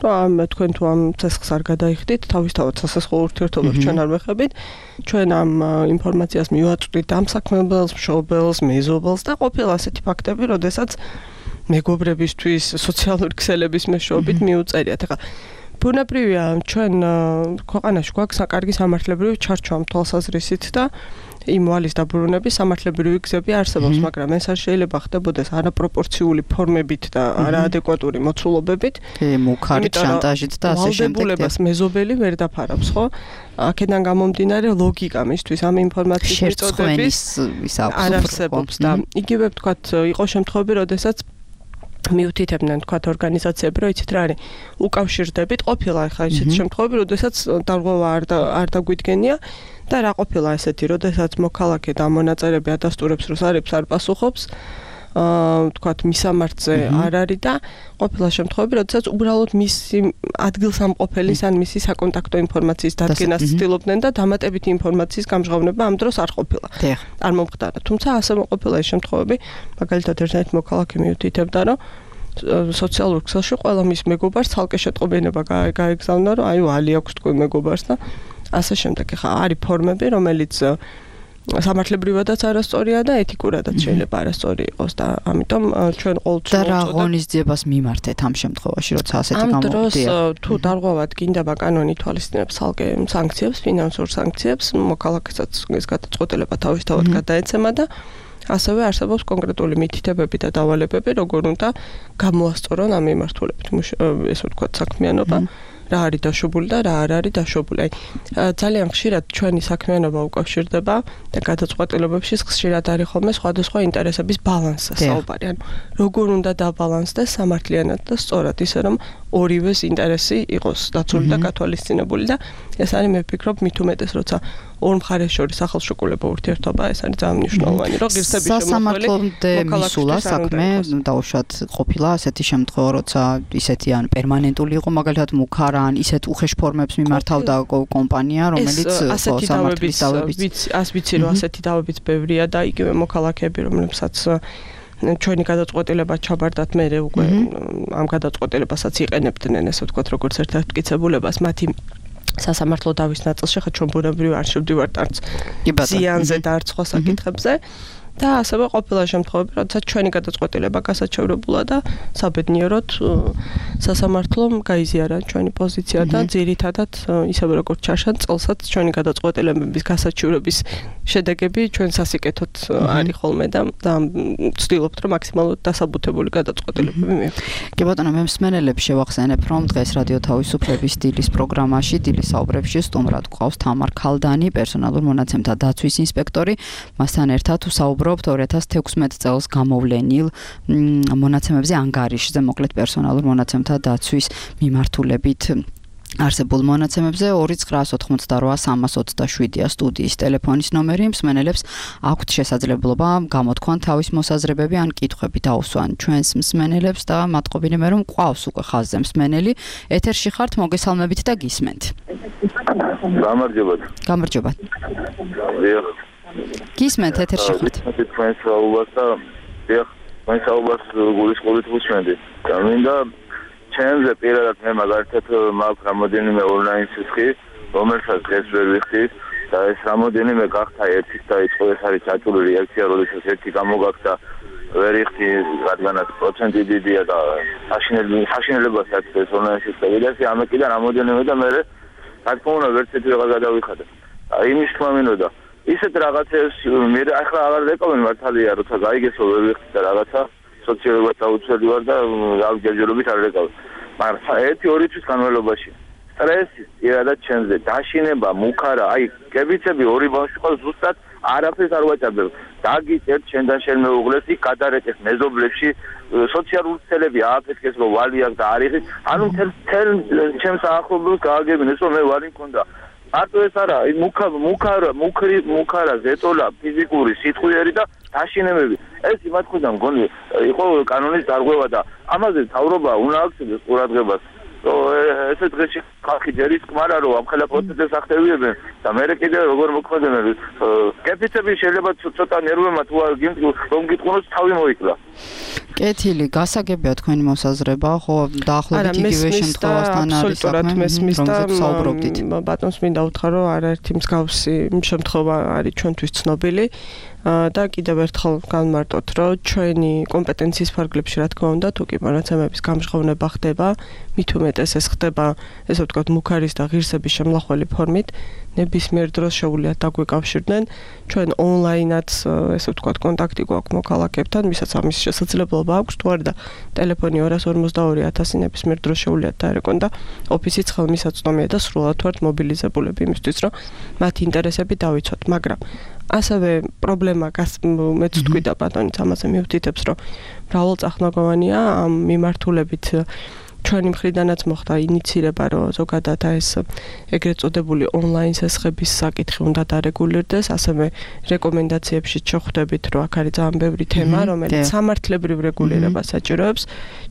რომ თქვენ თუ ამ ცესხს არ გადაიხდით თავისთავად სასახელო ურთიერთობებს ჩვენ არ ვეხებით ჩვენ ამ ინფორმაციას მივაწვდით ამ საქმებელს მშობელს მეზობელს და ყოფილა ასეთი ფაქტები როდესაც მეგობრებისთვის, სოციალური ქსელების მეშვეობით მიუწერიათ. ეხლა ბუნებრივია, ჩვენ ქვეყანაში გვაქვს საკარგი სამართლებრივი ჩარჩო ამ თვალსაზრისით და იმ ვალის დაბრუნების სამართლებრივი გზები არსებობს, მაგრამ ეს არ შეიძლება ხდებოდეს არაპროპორციული ფორმებით და არაადეკვატური მოცულობებით, მუქარით, შანტაჟით და ასე შემდეგ. ვალდებულებას მეზობელი ვერ დაფარავს, ხო? აქედან გამომდინარე ლოგიკა მისთვის ამ ინფორმაციის მიწოდების არ არსებობს და იგივე ვთქვათ, იყო შემთხვევები, როდესაც მიუთითებდნენ თქვათ ორგანიზაციები, რომ იცით რა არის, უკავშირდებით ყოფილა ხა ისეთ შემთხვევები, როდესაც დარღვევა არ დაგვიდგენია და რა ყოფილა ესეთი, როდესაც მოქალაქე და მონაწილეები ადასტურებს, რომ სარებს არ პასუხობს, თქვათ მისამართზე არ არის და ყოფილა შემთხვევები, როდესაც უბრალოდ მისი ადგილსამყოფელის ან მისი საკონტაქტო ინფორმაციის დადგენას ცდილობდნენ და დამატებითი ინფორმაციის გამჟღავნება ამ დროს არ ყოფილა. არ მომხდარა. თუმცა ასე ყოფილა ეს შემთხვევები, მაგალითად ერთ-ერთი მოქალაქე მიუთითებდა, რომ სოციალურ ქსელში ყველა მის მეგობარს ცალკე შეტყობინება გაეგზავნა, რომ აი ვალი აქვს თქვენ მეგობარს და ასე შემდეგ. ხა არის ფორმები, რომელიც სამართლებრივადაც არასწორია და ეთიკურადაც შეიძლება არასწორი იყოს და ამიტომ ჩვენ ყოველთვის და რა ღონისძიებას მიმართეთ ამ შემთხვევაში, როცა ასეთი ამ დროს თუ დარღვევად გინდება კანონი ითვალისწინებს ცალკე სანქციებს, ფინანსურ სანქციებს, მოქალაქესაც ეს გადაწყვეტილება თავისთავად გადაეცემა და ასევე არსებობს კონკრეტული მითითებები და დავალებები, როგორ უნდა გამოასწორონ ამ მიმართულებით, ესე ვთქვათ, საქმიანობა. რა არის დაშვებული და რა არ არის დაშვებული. ძალიან ხშირად ჩვენი საქმიანობა უკავშირდება და გადაწყვეტილებებში ხშირად არის ხოლმე სხვადასხვა ინტერესების ბალანსზე საუბარი. ანუ როგორ უნდა დაბალანსდეს სამართლიანად და სწორად, ისე რომ ორივეს ინტერესი იყოს დაცული და გათვალისწინებული და ეს არის მე ვფიქრობ მით უმეტეს როცა ორ მხარეს შორის სახელშეკრულებო ურთიერთობა ეს არის ძალიან მნიშვნელოვანი, რომ ღირსების სასამართლომდე მისულა საქმე დაუშვათ ყოფილა ასეთი შემთხვევა, როცა ისეთი ან პერმანენტული იყო მაგალითად მუქარა ან ისეთ უხეშ ფორმებს მიმართავდა კომპანია, რომელიც ასეთი დავების ვიცი რომ ასეთი დავებიც ბევრია და იგივე მოქალაქეები, რომლებსაც ჩვენი გადაწყვეტილება ჩაბარდათ მე უკვე ამ გადაწყვეტილებასაც იყენებდნენ, ესე ვთქვათ, როგორც ერთ-ერთ მტკიცებულებას მათი სასამართლო დავის ნაწილში ხა ჩვენ ბუნებრივი არ შევდივართ არც ზიანზე და არც სხვა საკითხებზე. და ასევე ყოფილა შემთხვევები, როდესაც ჩვენი გადაწყვეტილება გასაჩევრებულა და საბედნიეროდ სასამართლომ გაიზიარა ჩვენი პოზიცია და ძირითადად ისევე როგორც ჩაშან წელსაც ჩვენი გადაწყვეტილებების გასაჩევრების შედეგები ჩვენ სასიკეთოდ არის ხოლმე და ვცდილობთ რომ მაქსიმალურად დასაბუთებული გადაწყვეტილებები მივიღოთ. კი ბატონო, მე მსმენელებს შევახსენებ, რომ დღეს რადიო თავისუფლების დილის პროგრამაში, დილის საუბრებში სტუმრად გვყავს თამარ ქალდანი, პერსონალურ მონაცემთა დაცვის ინსპექტორი, მასთან ერთად ვსაუბრობთ 2016 წელს გამოვლენილ მონაცემებზე ანგარიშზე, მოკლედ პერსონალურ მონაცემთა დაცვის მიმართულებით არსებულ მონაცემებზე 2988327-ია სტუდიის ტელეფონის ნომერი. მსმენელებს აქვთ შესაძლებლობა გამოთქვან თავის მოსაზრებები ან კითხვები დაუსვან ჩვენს მსმენელებს და მადყოფილი მე რომ ყავს უკვე ხაზზე მსმენელი. ეთერში ხართ, მოგესალმებით და გისმენთ. გამარჯობა. გისმენთ, ეთერში ხართ. თქვენ საუბარს და თქვენ საუბარს გულისხმობით ვუსმენდი. და მინდა ჩემზე პირადად მე მაგალითად მაქვს რამოდენიმე ონლაინ სისხლი, რომელსაც დღეს ვერ ვიხდით და ეს რამოდენიმე გახდა ერთის დაიწყო, ეს არის საჭირო რეაქცია, როდესაც ერთი გამოგაქდა ვერ იხდი, რადგანაც პროცენტი დიდია და საშინელებას აქვს ეს ონლაინ სისხლი და ეს ამეკიდა რამოდენიმე და მე რა თქმა უნდა ვერც ერთი რაღაც გადავიხადე. იმის თქმა მინდოდა ისეთ რაღაცებს მე ახლა აღარ რეკომენ მართალია როცა გაიგესო ვერ ვიხდი და რაღაცა სოციალურად დაუცველი ვარ და ჯერჯერობით არ რეკავ. მაგრამ 1-2 თვის განმავლობაში სტრესი პირადად ჩემზე დაშინება, მუქარა, აი კებიცები ორი ბავშვი ყავს ზუსტად არაფერს არ ვაჭარბებ. დაგიწერთ შენთან შენ მეუღლეს იქ გადარეკეს მეზობლებში სოციალური ცელები ააფეთქეს რომ ვალი აქვს და არიხი. ანუ თელ ჩემს ახლობლებს გააგებინეს რომ მე ვალი მქონდა. მარტო ეს არა, მუქარა, ზეტოლა, ფიზიკური, სიტყვიერი და დაშინებები. ეს იმათ ხოდა მგონი იყო კანონის დარღვევა და ამაზე თავრობა უნდა აქცევდეს ყურადღებას. ესე დღეში ხალხი ჯერის კმარა რომ ამ ხელა პროცესებს ახდევიებენ და მე კიდე როგორ მოქმედებენ. კეფიცები შეიძლება ცოტა ნერვებმა თუ არ რომ გიტყუნოს თავი მოიკლა. კეთილი, გასაგებია თქვენი მოსაზრება, ხო, დაახლოებით იგივე შემთხვევასთან არის საქმე, რომელზეც საუბრობდით. ბატონს მინდა უთხრა, რომ არაერთი მსგავსი შემთხვევა არის ჩვენთვის ცნობილი. და კიდევ ერთხელ განმარტოთ, რომ ჩვენი კომპეტენციის ფარგლებში რა თქმა უნდა, თუ კი მონაცემების გამჟღავნება ხდება, მით უმეტეს ეს ხდება, ესე ვთქვათ, მუქარის და ღირსების შემლახველი ფორმით, ნებისმიერ დროს შეუძლიათ დაგვიკავშირდნენ. ჩვენ ონლაინაც, ესე ვთქვათ, კონტაქტი გვაქვს მოქალაქეებთან, ვისაც ამის შესაძლებლობა აქვს, თუ არა და ტელეფონი 242.1000 ნებისმიერ დროს შეუძლიათ დაერეკონ და ოფისიც ხელმისაწვდომია და სრულად ვართ მობილიზებულები იმისთვის, რომ მათი ინტერესები დავიცვათ, მაგრამ ასევე პრობლემა მეც თქვი და ბატონიც ამაზე მივთითებს, რომ მრავალწახნაგოვანია ამ მიმართულებით ჩვენი მხრიდანაც მოხდა ინიცირება, რომ ზოგადად ეს ეგრეთ წოდებული ონლაინ სესხების საკითხი უნდა დარეგულირდეს, ასევე რეკომენდაციებში შეხვდებით, რომ აქ არის ძალიან ბევრი თემა, რომელიც სამართლებრივ რეგულირებას საჭიროებს.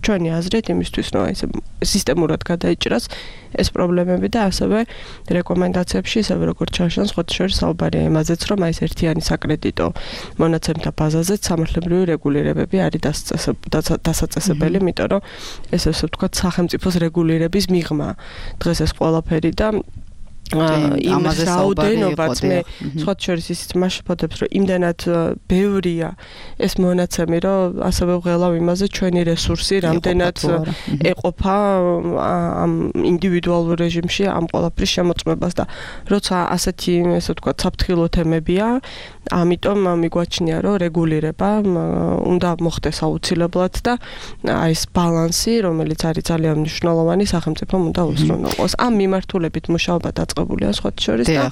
ჩვენი აზრით იმისთვის, რომ ეს სისტემურად გადაიჭრას ეს პრობლემები და ასევე რეკომენდაციებში, ისევე როგორც ჩაშან სხვა შორის საუბარია იმაზეც, რომ აი ეს ერთიანი საკრედიტო მონაცემთა ბაზაზე სამართლებრივი რეგულირებები არის დასაწესებელი, იმიტომ რომ ეს ასე ვთქვათ სახელმწიფოს რეგულირების მიღმა. დღეს ეს ყველაფერი და იმას რაოდენობაც მე სხვა შორის ისიც მაშფოთებს, რომ იმდანად ბევრია ეს მონაცემი, რომ ასევე ვღელავ იმაზე ჩვენი რესურსი რამდენად ეყოფა ამ ინდივიდუალურ რეჟიმში ამ ყველაფრის შემოწმებას და როცა ასეთი ესე ვთქვათ საფრთხილო თემებია, ამიტომ მიგვაჩნია, რომ რეგულირება უნდა მოხდეს აუცილებლად და აი ეს ბალანსი, რომელიც არის ძალიან მნიშვნელოვანი, სახელმწიფომ უნდა უსწრუნველყოს. ამ მიმართულებით მუშაობა დაწყებულია სხვა შორის და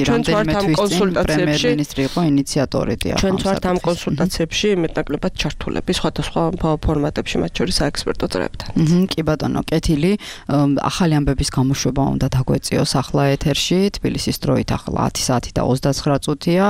ჩვენ ვართ ამ კონსულტაციებში პრემიერ-მინისტრი იყო ინიციატორი და ჩვენ ვართ ამ კონსულტაციებში მეტნაკლებად ჩართულები სხვადასხვა ფორმატებში, მათ შორის საექსპერტო წრეებთან. კი ბატონო, კეთილი, ახალი ამბების გამოშვება უნდა დაგვეწიოს ახლა ეთერში, თბილისის დროით ახლა 10 საათი და 29 წუთია.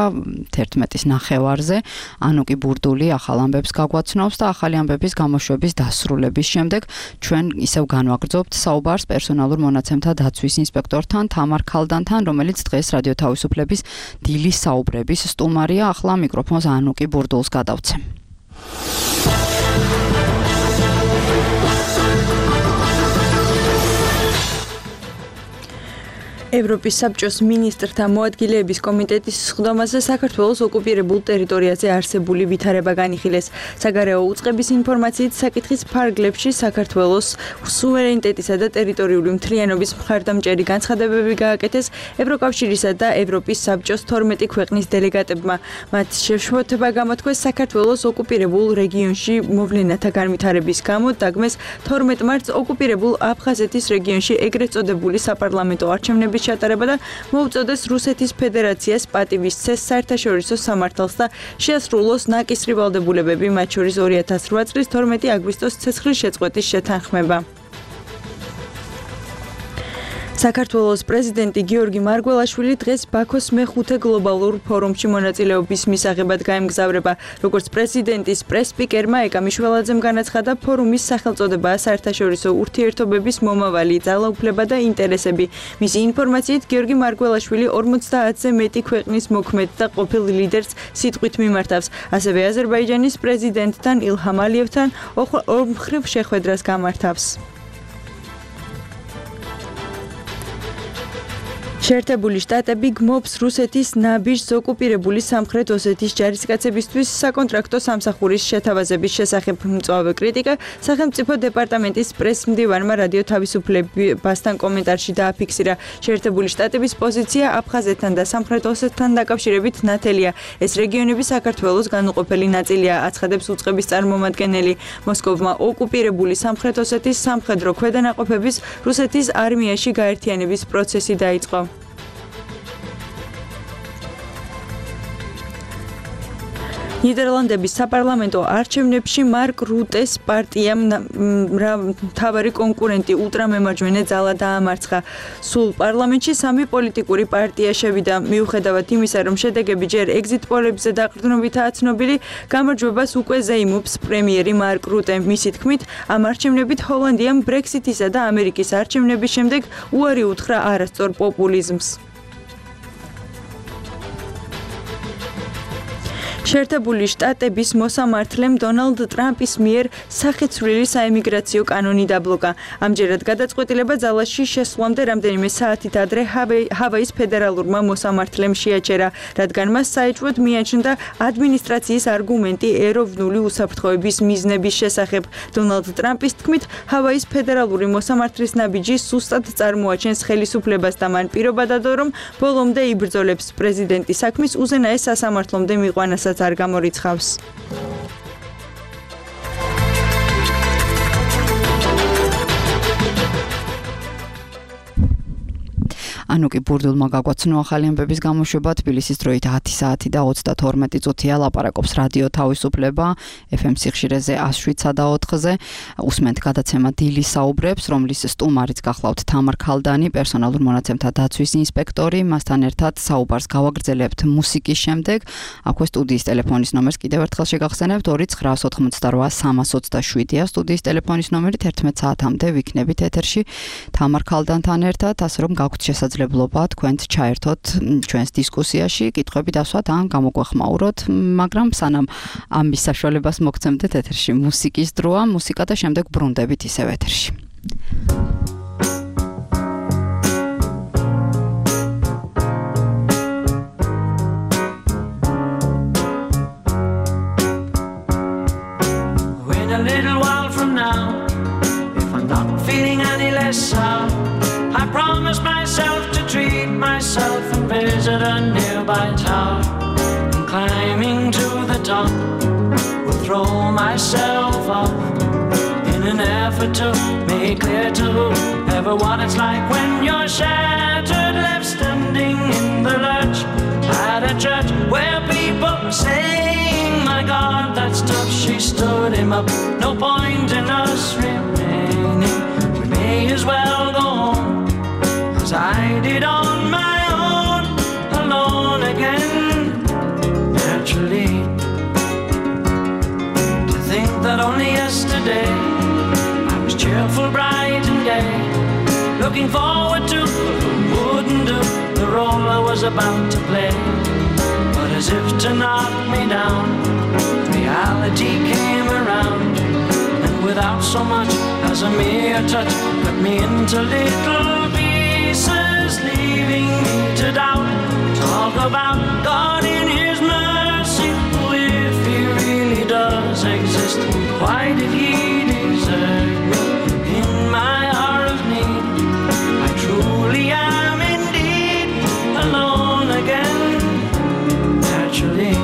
11-ის ნახევარზე, ანუკი ბურდული ახალ ამბებს გაგვაცნობს და ახალი ამბების გამოშვების დასრულების შემდეგ ჩვენ ისევ განვაგრძობთ საუბარს პერსონალურ მონაცემთა დაცვის ინსპექტორთან თამარ ქალდანთან, რომელიც დღეს რადიო თავისუფლების დილის საუბრების სტუმარია. ახლა მიკროფონს ანუკი ბურდულს გადავცემ. ევროპის საბჭოს მინისტრთა მოადგილეების კომიტეტის სხდომაზე საქართველოს ოკუპირებულ ტერიტორიაზე არსებული ვითარება განიხილეს. საგარეო უწყების ინფორმაციით საკითხის ფარგლებში საქართველოს სუვერენიტეტისა და ტერიტორიული მთლიანობის მხარდამჭერი განცხადებები გააკეთეს ევროკავშირისა და ევროპის საბჭოს 12 ქვეყნის დელეგატებმა. მათ შეშფოთება გამოთქვეს საქართველოს ოკუპირებულ რეგიონში მოვლენათა განვითარების გამო დაგმეს 12 მარტს ოკუპირებულ აფხაზეთის რეგიონში ეგრეთ წოდებული საპარლამენტო არჩევნების ჩატარება და მოუწოდეს რუსეთის ფედერაციას პატივისცეს საერთაშორისო სამართალს და შეასრულოს ნაკისრი ვალდებულებები, მათ შორის 2008 წლის 12 აგვისტოს ცეცხლის შეწყვეტის შეთანხმება. საქართველოს პრეზიდენტი გიორგი მარგველაშვილი დღეს ბაქოს მეხუთე გლობალურ ფორუმში მონაწილეობის მისაღებად გაემგზავრება. როგორც პრეზიდენტის პრეს-სპიკერმა ეკა მიშველაძემ განაცხადა, ფორუმის სახელწოდებაა საერთაშორისო ურთიერთობების მომავალი, ძალაუფლება და ინტერესები. მისი ინფორმაციით, გიორგი მარგველაშვილი 50-ზე მეტი ქვეყნის მოქმედ და ყოფილ ლიდერს სიტყვით მიმართავს. ასევე აზერბაიჯანის პრეზიდენტთან ილჰამ ალიევთან ორმხრივ შეხვედრას გამართავს. შეერთებული შტატები გმობს რუსეთის ნაბიჯს ოკუპირებული სამხრეთ ოსეთის ჯარისკაცებისთვის საკონტრაქტო სამსახურის შეთავაზების შესახებ. მწვავე კრიტიკა სახელმწიფო დეპარტამენტის პრეს-მდივანმა რადიო თავისუფლებასთან კომენტარში დააფიქსირა. შეერთებული შტატების პოზიცია აფხაზეთთან და სამხრეთ ოსეთთან დაკავშირებით ნათელია. ეს რეგიონები საქართველოს განუყოფელი ნაწილია, აცხადებს უწყების წარმომადგენელი. მოსკოვმა ოკუპირებული სამხრეთ ოსეთის სამხედრო ქვედანაყოფების რუსეთის არმიაში გაერთიანების პროცესი დაიწყო. ნიდერლანდების საპარლამენტო არჩევნებში მარკ რუტეს პარტიამ მთავარი კონკურენტი ულტრამემარჯვენე ძალა დაამარცხა. სულ პარლამენტში 3 პოლიტიკური პარტია შევიდა. მიუხედავად იმისა, რომ შედეგები ჯერ ეგზიტ პოლებზე დაყრდნობითაა ცნობილი, გამარჯვებას უკვე ზეიმობს პრემიერი მარკ რუტე. მისი თქმით, ამ არჩევნებით ჰოლანდიამ ბრექსიტისა და ამერიკის არჩევნების შემდეგ უარი უთხრა არასწორ პოპულიზმს. შეერთებული შტატების მოსამართლემ დონალდ ტრამპის მიერ სახეცვლილი საემიგრაციო კანონი დაბლოკა. ამჯერად გადაწყვეტილება ძალაში შესვლამდე რამდენიმე საათით ადრე ჰავაის ფედერალურმა მოსამართლემ შეაჩერა, რადგან მას საეჭვოდ მიაჩნდა ადმინისტრაციის არგუმენტი ეროვნული უსაფრთხოების მიზნების შესახებ. დონალდ ტრამპის თქმით, ჰავაის ფედერალური მოსამართლის ნაბიჯი სუსტად წარმოაჩენს ხელისუფლებას და მან პირობა დადო, რომ ბოლომდე იბრძოლებს პრეზიდენტის საქმის უზენაეს სასამართლომდე მიყვანასაც არ გამორიცხავს. ანუკი ბურდულმა გაგვაცნო ახალი ამბების გამოშვება. თბილისის დროით 10 საათი და 32 წუთია. ლაპარაკობს რადიო თავისუფლება FM სიხშირეზე 107.4-ზე. უსმენთ გადაცემა დილი საუბრებს, რომლის სტუმარიც გახლავთ თამარ ქალდანი, პერსონალურ მონაცემთა დაცვის ინსპექტორი. მასთან ერთად საუბარს გავაგრძელებთ მუსიკის შემდეგ. აქვე სტუდიის ტელეფონის ნომერს კიდევ ერთხელ შეგახსენებთ 2988327-ია სტუდიის ტელეფონის ნომერი. 11 საათამდე ვიქნებით ეთერში თამარ ქალდანთან ერთად, ასე რომ გაგვთ შესაძლებლობა თქვენც ჩაერთოთ ჩვენს დისკუსიაში, კითხვები დასვათ ან გამოგვეხმაუროთ, მაგრამ სანამ ამის საშუალებას მოგცემდეთ ეთერში მუსიკის დროა, მუსიკა და შემდეგ ბრუნდებით ისევ ეთერში. Wait a little while from now, if I'm not feeling any less sound, I promise myself to treat myself and visit a nearby tower. And climbing to the top, will throw myself up in an effort to make clear to everyone it's like when you're shattered, left standing in the lurch at a church where people are saying, my God, that's tough, she stood him up. No point in us remaining, we may as well go home. As I did on my own, alone again, naturally. To think that only yesterday I was cheerful, bright and gay, looking forward to wouldn't do the role I was about to play. But as if to knock me down, reality came around, and without so much as a mere touch, cut me into little pieces, leaving talk about God in his mercy. Oh, if he really does exist, why did he desert me in my hour of need? I truly am indeed alone again. Naturally,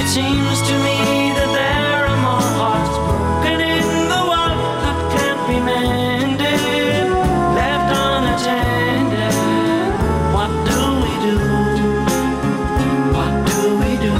it seems to me that there are more hearts broken in the world that can't be mended, left unattended. What do we do? What do we do?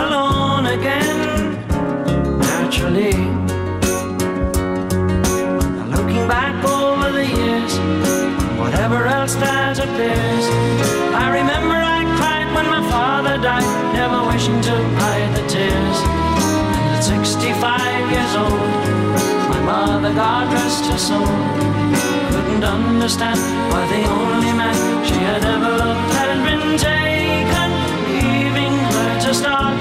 Alone again, naturally. Now looking back over the years, whatever else that appears, I remember I cried when my father died, never wishing to hide the tears. And at 65 years old, my mother, God rest her soul, couldn't understand why the only man she had ever loved had been taken, leaving her to start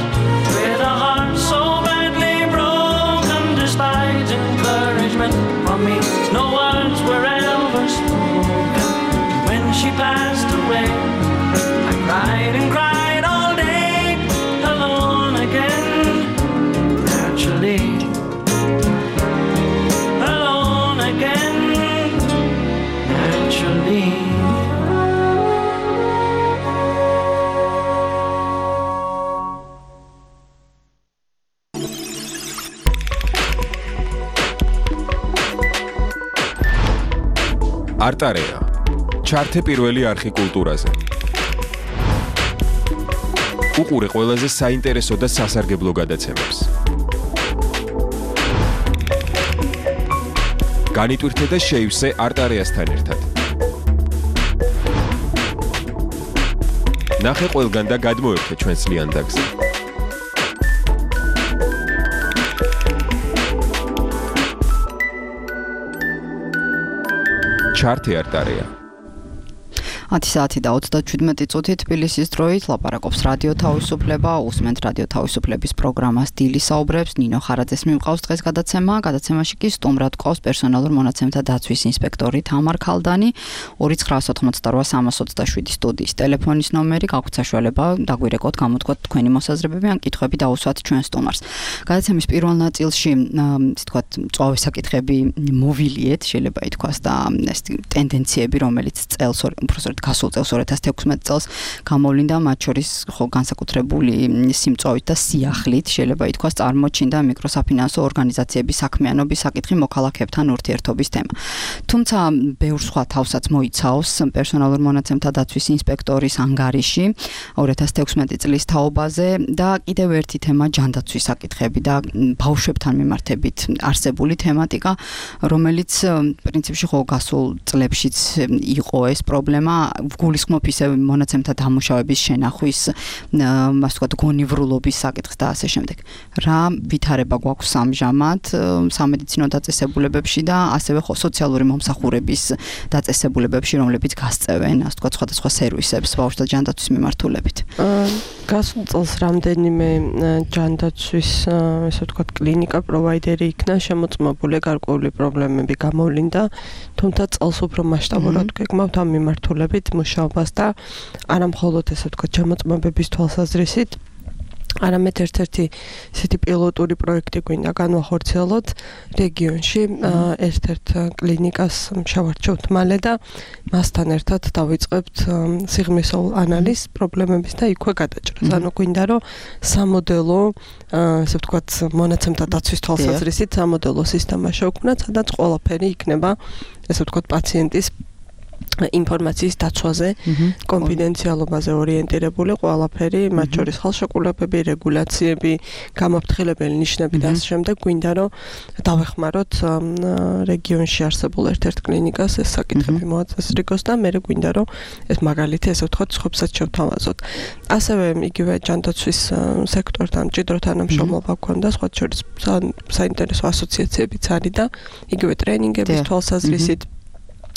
with a heart so badly broken. Despite encouragement from me, no words were ever spoken. When she passed away, I cried and cried all day, alone again, naturally. Alone again, naturally. არტარეა. ჩართე პირველი არხი კულტურაზე. უყურე ყველაზე საინტერესო და სასარგებლო გადაცემებს. განიტვირთე და შეივსე არტარეასთან ერთად. ნახე ყველგან და გადმოერთე ჩვენს ლიანდაგზე. ჩართე არტარეა. 10 საათი და 37 წუთი თბილისის დროით ლაპარაკობს რადიო თავისუფლება, უსმენთ რადიო თავისუფლების პროგრამას დილი საუბრებს, ნინო ხარაძეს მიმყავს დღეს გადაცემა. გადაცემაში კი სტუმრად ყავს პერსონალურ მონაცემთა დაცვის ინსპექტორი თამარ ქალდანი. 2988 327 სტუდიის ტელეფონის ნომერი, გაქვთ საშუალება დაგვირეკოთ, გამოთქვათ თქვენი მოსაზრებები ან კითხვები დაუსვათ ჩვენ სტუმარს. გადაცემის პირველ ნაწილში, ისე ვთქვათ, წვავე საკითხები მოვილიეთ, შეიძლება ითქვას და ეს ტენდენციები, რომელიც წელს უბრალოდ გასულ წელს 2016 წელს გამოვლინდა, მათ შორის ხო განსაკუთრებული სიმწვავით და სიახლით შეიძლება ითქვას წარმოჩინდა მიკროსაფინანსო ორგანიზაციების საქმიანობის საკითხი მოქალაქეებთან ურთიერთობის თემა. თუმცა ბევრ სხვა თავსაც მოიცავს პერსონალურ მონაცემთა დაცვის ინსპექტორის ანგარიში 2016 წლის თაობაზე და კიდევ ერთი თემა ჯანდაცვის საკითხები და ბავშვებთან მიმართებით არსებული თემატიკა, რომელიც პრინციპში ხო გასულ წლებშიც იყო ეს პრობლემა, გულისხმობ ისე მონაცემთა დამუშავების შენახვის, ასე ვთქვათ, გონივრულობის საკითხს და ასე შემდეგ. რა ვითარება გვაქვს ამჟამად სამედიცინო დაწესებულებებში და ასევე ხო სოციალური მომსახურების დაწესებულებებში, რომლებიც გასწევენ, ასე ვთქვათ, სხვადასხვა სერვისებს ბავშვთა ჯანდაცვის მიმართულებით. გასულ წელს რამდენიმე ჯანდაცვის, ასე ვთქვათ, კლინიკა პროვაიდერი იქნა შემოწმებული, გარკვეული პრობლემები გამოვლინდა, თუმცა წელს უფრო მასშტაბურად გეკმავთ ამ მიმართულებით მუშაობას და არა მხოლოდ ესე ვთქვათ შემოწმებების თვალსაზრისით, არამედ ერთ-ერთი ისეთი პილოტური პროექტი გვინდა განვახორციელოთ რეგიონში ერთ-ერთ კლინიკას შევარჩევთ მალე და მასთან ერთად დავიწყებთ სიღრმისეულ ანალიზ პრობლემების და იქვე გადაჭრას. ანუ გვინდა რომ სამოდელო ესე ვთქვათ მონაცემთა დაცვის თვალსაზრისით სამოდელო სისტემა შევქმნათ, სადაც ყველაფერი იქნება ესე ვთქვათ პაციენტის ინფორმაციის დაცვაზე, კონფიდენციალობაზე ორიენტირებული ყველაფერი, მათ შორის ხელშეკრულებები, რეგულაციები, გამოფრთხილებელი ნიშნები და ამ შემდეგ გვინდა რომ დავეხმაროთ რეგიონში არსებულ ერთ-ერთ კლინიკას ეს საკითხები მოაწესრიგოს და მე გვინდა რომ ეს მაგალითი ესე ვთქვათ სხვებსაც შევთავაზოთ. ასევე იგივე ჯანდაცვის სექტორთან მჭიდრო თანამშრომლობა გვქონდა, სხვა შორის საინტერესო ასოციაციებიც არის და იგივე ტრენინგების თვალსაზრისით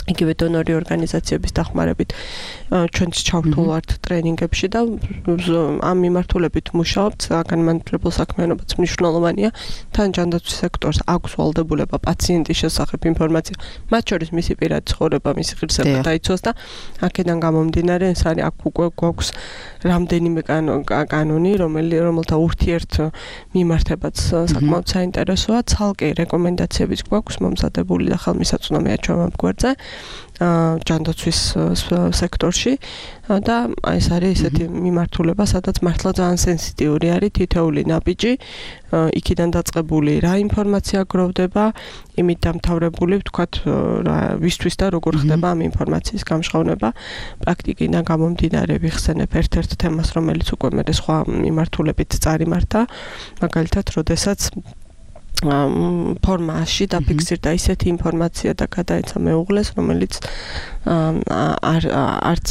იგივე დონორი ორგანიზაციების დახმარებით ჩვენც ჩავთვალავთ ტრენინგებში და ამ მიმართულებით მუშაობთ. განმანათლებელ საქმიანობაც მნიშვნელოვანია. თან ჯანდაცვის სექტორს აქვს ვალდებულება პაციენტის შესახებ ინფორმაცია, მათ შორის მისი პირადი ცხოვრება, მისი ღირსება დაიცვას და აქედან გამომდინარე ეს არის აქ უკვე გვაქვს რამდენიმე კანონი, რომელთა ურთიერთ მიმართებაც საკმაოდ საინტერესოა. ცალკე რეკომენდაციებიც გვაქვს მომზადებული და ხელმისაწვდომია ჩვენ ამ გვერდზე. ჯანდაცვის სექტორში და ეს არის ესეთი მიმართულება, სადაც მართლა ძალიან სენსიტიური არის თითოეული ნაბიჯი, იქიდან დაწყებული რა ინფორმაცია გროვდება, იმით დამთავრებული ვთქვათ ვისთვის და როგორ ხდება ამ ინფორმაციის გამჟღავნება. პრაქტიკიდან გამომდინარე ვიხსენებ ერთ-ერთ თემას, რომელიც უკვე მე სხვა მიმართულებით წარიმართა, მაგალითად, როდესაც ფორმაში დაფიქსირდა ისეთი ინფორმაცია და გადაეცა მეუღლეს, რომელიც არც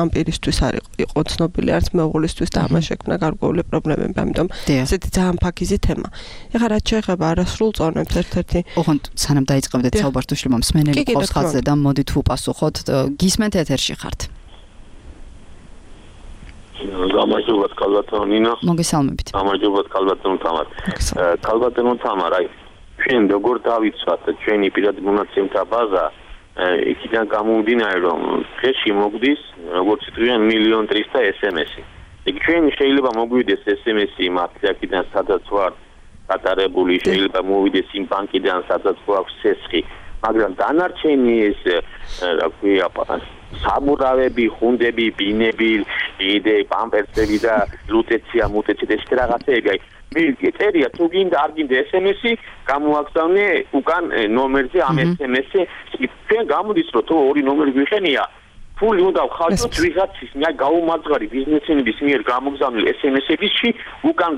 ამ პირისთვის არ იყო ცნობილი, არც მეუღლისთვის და ამას შექმნა გარკვეული პრობლემები. ამიტომ ესეთი ძალიან ფაქიზი თემა. ეხლა რაც შეეხება არასრულ წონებს, ერთ-ერთი ოღონდ სანამ დაიწყებდეთ საუბარს თუ შლება მსმენელი ყავს ხაზზე და მოდით უპასუხოთ, გისმენთ ეთერში ხართ. გამარჯობათ ქალბატონო ნინო. მოგესალმებით. გამარჯობათ ქალბატონო თამარ. ქალბატონო თამარ, აი ჩვენ როგორ დავიცვათ ჩვენი პირადი მონაცემთა ბაზა იქიდან გამომდინარე რომ დღეში მოგდის როგორც თქვენ 1.300.000 SMS-ი. იქ ჩვენ შეიძლება მოგვიდეს SMS-ი მათგან სადაც ვარ გატარებული, შეიძლება მოვიდეს იმ ბანკიდან სადაც გვაქვს ცეცხლი, მაგრამ დანარჩენი ეს რა ქვია საბურავები, ხუნდები, ბინები, იდე პამპერსები და ლუტეცია, მუტეცია ეს რაღაცები, აი წერია თუ გინდა არ გინდა SMS-ი, გამოაგზავნე უკან ნომერზე ამ SMS-ი, ჩვენ გამოდის რომ თუ ორი ნომერი გვიხენია, ფული უნდა ვხალხოთ ვიღაცის გაუმარჯვარი ბიზნესმენების მიერ გამოგზავნილ SMS-ებში უკან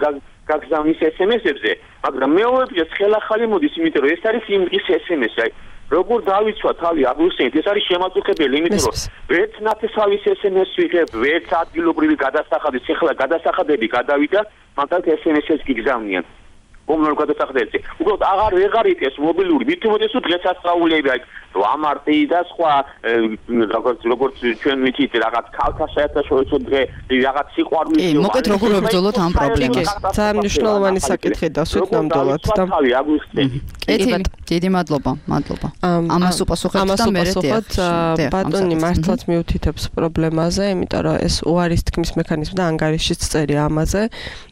გაგზავნის SMS-ებზე, მაგრამ მეორეც ხელახალი მოდის, იმიტომ რომ ეს არის იმ ის SMS-ი, აი როგორ დავიცვა თავი აგვიხსენეთ, ეს არის შემაწუხებელი, იმიტომ რომ ვერც ნათესავის SMS ვიღებ, ვერც ადგილობრივი გადასახადის, ეხლა გადასახადები გადავიდა, მაგრამ SMS-ს გიგზავნიან. მომნორ გადასახადებზე. უბრალოდ აღარ იტეს მობილური, მით უმეტეს თუ დღესასწაულები, აი 8 მარტი და სხვა როგორც ჩვენ ვიცით, რაღაც ქალთა საერთაშორისო დღე, რაღაც სიყვარულის მოკეთ როგორ ვებრძოლოთ ამ პრობლემას. ძალიან მნიშვნელოვანი საკითხი დასვით ნამდვილად და თავი აგვიხსენეთ. დიდი მადლობა. ამას უპასუხებთ და მე ბატონი მართლაც მიუთითებს პრობლემაზე, იმიტომ რომ ეს უარის თქმის მექანიზმი და ანგარიშიც წერია ამაზე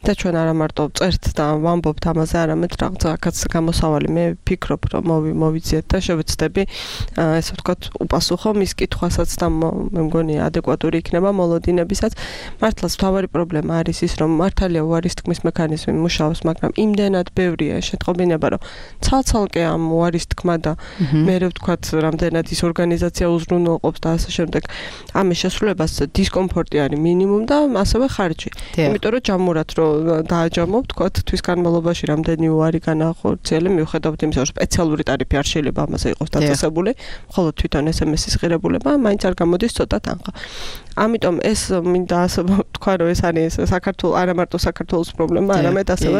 და ჩვენ არა მარტო წერთ და ვამბობთ ამაზე, არამედ რაღაცაც გამოსავალი მე ვფიქრობ რომ მოვიძიეთ და შევეცდები ესე ვთქვათ უპასუხო მის კითხვასაც და მე მგონი ადეკვატური იქნება მოლოდინებისაც. მართლაც მთავარი პრობლემა არის ის რომ მართალია უარის თქმის მექანიზმი მუშაობს, მაგრამ იმდენად ბევრია შეტყობინება რომ ცალ-ცალკე ამ უარის თქმა და მე ვთქვათ რამდენად ის ორგანიზაცია უზრუნველყოფს და ასე შემდეგ ამის შესრულებას დისკომფორტი არის მინიმუმ და ასევე ხარჯი. იმიტომ რომ ჯამურად რომ დააჯამო ვთქვათ თვის განმავლობაში რამდენი უარი განახორციელე მიუხედავად იმისა რომ სპეციალური ტარიფი არ შეიძლება ამაზე იყოს დაწესებული, მხოლოდ თვითონ SMS-ის ღირებულება მაინც არ გამოდის ცოტა თანხა. ამიტომ ეს მინდა ასე ვთქვა რომ ეს არის საქართველოს არა მარტო საქართველოს პრობლემა, არამედ ასევე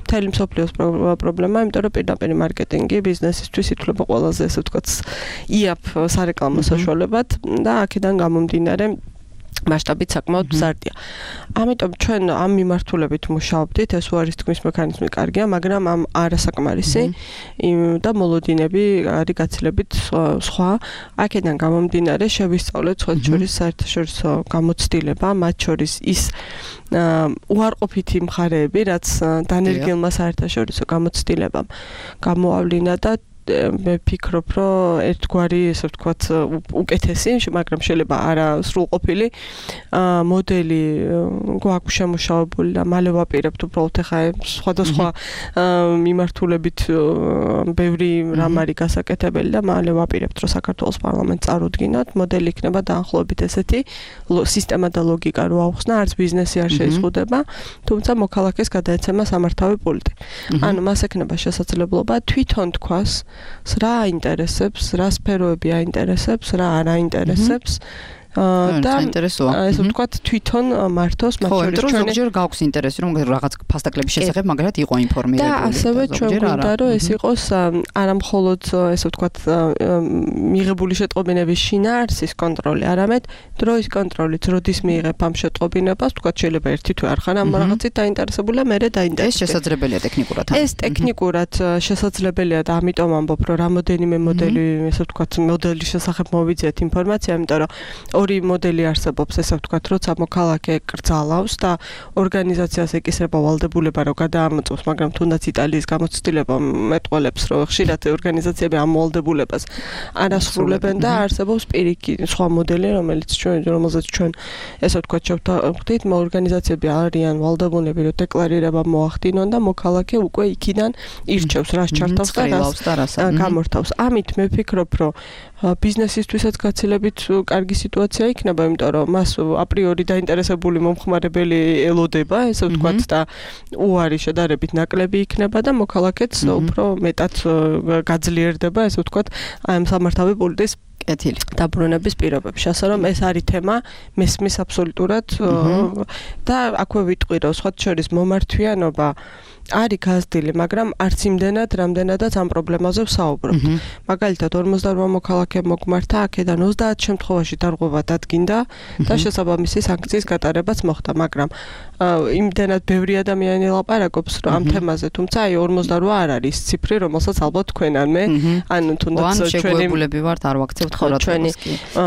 მთელი მსოფლიოს პრობლემა, იმიტომ რომ პირდაპირ მარკეტინგი ბიზნესისთვის ითვლება ყველაზე ესე ვთქვათ იაფ სარეკლამო საშუალებად და აქედან გამომდინარე მასშტაბით საკმაოდ მზარდია. ამიტომ ჩვენ ამ მიმართულებით მუშაობდით, ეს უარის თქმის მექანიზმი კარგია, მაგრამ ამ არასაკმარისი და მოლოდინები არის გაცილებით სხვა. აქედან გამომდინარე შევისწავლეთ სხვა შორის საერთაშორისო გამოცდილება, მათ შორის ის უარყოფითი მხარეები, რაც დანერგილმა საერთაშორისო გამოცდილებამ გამოავლინა და მე ვფიქრობ, რომ ერთგვარი, ესე ვთქვათ, უკეთესი, მაგრამ შეიძლება არა სრულყოფილი მოდელი გვაქვს შემუშავებული და მალე ვაპირებთ უბრალოდ ახლა სხვადასხვა მიმართულებით ბევრი რამ არის გასაკეთებელი და მალე ვაპირებთ, რომ საქართველოს პარლამენტს წარუდგინოთ, მოდელი იქნება დაახლოებით ესეთი სისტემა და ლოგიკა რო ავხსნა, არც ბიზნესი არ შეიზღუდება, თუმცა მოქალაქეს გადაეცემა სამართავი პულტი. ანუ მას ექნება შესაძლებლობა თვითონ თქვას, რა აინტერესებს, რა სფეროები აინტერესებს, რა არ აინტერესებს. და ესე ვთქვათ თვითონ მართოს მათ შორის ჩვენ ზოგჯერ გაქვს ინტერესი რომ რაღაც ფასტაკლების შესახებ მაგრამ იყო ინფორმირებული და ასევე ჩვენ გვინდა რომ ეს იყოს არა მხოლოდ ესე ვთქვათ მიღებული შეტყობინების შინაარსის კონტროლი, არამედ დროის კონტროლით, როდის მიიღებ ამ შეტყობინებას, ვთქვათ შეიძლება ერთი თვე არ ხარ ამ რაღაცით დაინტერესებული, მერე დაინტერესებული. ეს შესაძლებელია ტექნიკურად. ეს ტექნიკურად შესაძლებელია და ამიტომ ამბობ რომ რამოდენიმე მოდელი, ესე ვთქვათ, მოდელის შესახებ მოვიძიეთ ინფორმაცია, იმიტომ რომ ორი მოდელი არსებობს, ესე ვთქვათ, როცა მოქალაქე კრძალავს და ორგანიზაციას ეკისრება ვალდებულება, რომ გადაამოწმოს, მაგრამ თუნდაც იტალიის გამოცდილება მეტყველებს, რომ ხშირად ორგანიზაციები ამ ვალდებულებას არ ასრულებენ და არსებობს პირიქით სხვა მოდელი, რომელზეც ჩვენ ესე ვთქვათ, შევხვდით, ორგანიზაციები არიან ვალდებულები, რომ დეკლარირება მოახდინონ და მოქალაქე უკვე იქიდან ირჩევს, რას ჩართავს და რას გამორთავს. ამით მე ვფიქრობ, რომ ბიზნესისთვისაც გაცილებით კარგი სიტუაცია იქნება, იმიტომ რომ მას აპრიორი დაინტერესებული მომხმარებელი ელოდება, ესე ვთქვათ, და უარი შედარებით ნაკლები იქნება და მოქალაქეც უფრო მეტად გაძლიერდება, ესე ვთქვათ, ამ სამართავი პულტის კეთილი დაბრუნების პირობებში. ასე რომ ეს არის თემა, მესმის აბსოლუტურად და აქვე ვიტყვი, რომ სხვა შორის მომართვიანობა არის გაზრდილი, მაგრამ არც იმდენად, რამდენადაც ამ პრობლემაზე ვსაუბრობთ. მაგალითად, 58 მოქალაქე მოგმართა, აქედან 30 შემთხვევაში დარღვევა დადგინდა და შესაბამისი სანქციის გატარებაც მოხდა, მაგრამ იმდენად ბევრი ადამიანი ლაპარაკობს ამ თემაზე, თუმცა აი 48 არ არის ციფრი, რომელსაც ალბათ თქვენ ან მე, ან თუნდაც შეგვებულები ვართ, არ ვაქცევთ ხოლმე ჩვენი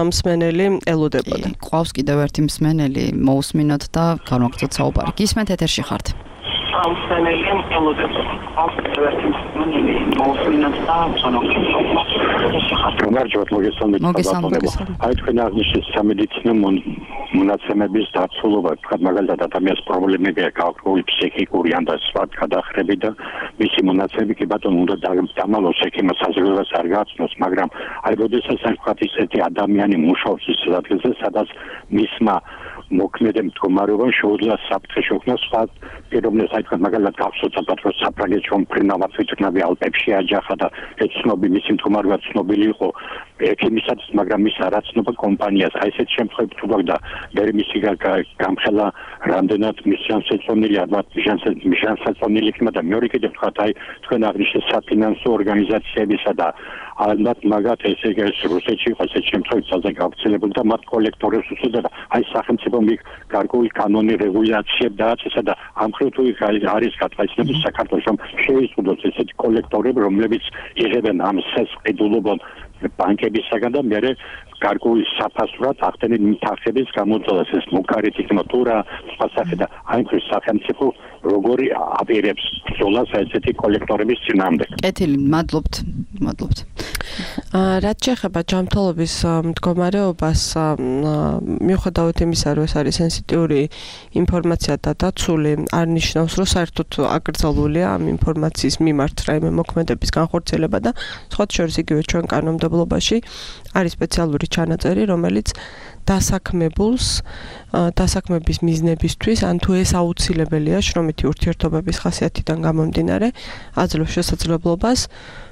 მსმენელი ელოდებოდა. ყავს კიდევ ერთი მსმენელი, მოусმინოთ და განვაგრძოთ საუბარი. გისმენთ ეთერში ხართ. Auswendig ელოდებოდა. აი თქვენ აღნიშნეთ სამედიცინო მონაცემების დაცულობა, მაგალითად ადამიანის პრობლემები აქვს ფსიქიკური ან და სხვა გადახრები და მისი მონაცემები კი ბატონო უნდა დამალოს ექიმას საზრდოობას არ გააცნოს, მაგრამ აი როდესაც ვთქვათ ისეთი ადამიანი მუშაობს ის ადგილზე, სადაც მისმა მოქმედი მდგომარეობა შეუძლია საფრთხე შექმნას სხვა პიროვნებას, აი თქვენ მაგალითად გახსოვთ რომ საფრანგეთში მფრინავად ვიტყნავი ალპებში აჯახა და ეცნობი მისი მდგომარეობა ცნობილი იყო ექიმისათვის, მაგრამ მის არაცნობა კომპანიას. აი ესეთ შემთხვევებში თუ გაქვს და მე მისი გამხელა რამდენად მისიანსეწონილი ალბათ მისიანსეწონილი იქნება და მეორე კიდევ თქვა აი თქვენ აღნიშნეთ საფინანსო ორგანიზაციებისა და ალბათ მაგათ ესე იგი რუსეთში იყო ესეთ შემთხვევაში ძალზე გავრცელებული და მათ კოლექტორებს უწოდებდა აი სახელმწიფო გარკვეული კანონი რეგულაციები დააწესა და ამ მხრივ თუ არის გათვალისწინებული საქართველოს რომ შეიზღუდოს ესეთი კოლექტორები რომლებიც იღებენ ამ სესყიდულობონ ბანკებისაგან და მერე გარკვეული საფასურად ახდენენ მითახების გამოძალას ეს მოკარი ტექნოლოგია სხვა სახე და აი ეს სახელმწიფო როგორი აპირებს ბრძოლას ესეთი კოლექტორების წინააღმდეგ. კეთილი, მადლობთ. რაც შეეხება ჯანმრთელობის მდგომარეობას, მიუხედავად იმისა, რომ ეს არის სენსიტიური ინფორმაცია და დაცული, არ ნიშნავს, რომ საერთოდ აკრძალულია ამ ინფორმაციის მიმართ რაიმე მოქმედების განხორციელება და სხვა შორის იგივე ჩვენ კანონმდებლობაში არის სპეციალური ჩანაწერი, რომელიც დასაქმების მიზნებისთვის, ან თუ ეს აუცილებელია შრომითი ურთიერთობების ხასიათიდან გამომდინარე, აძლევს შესაძლებლობას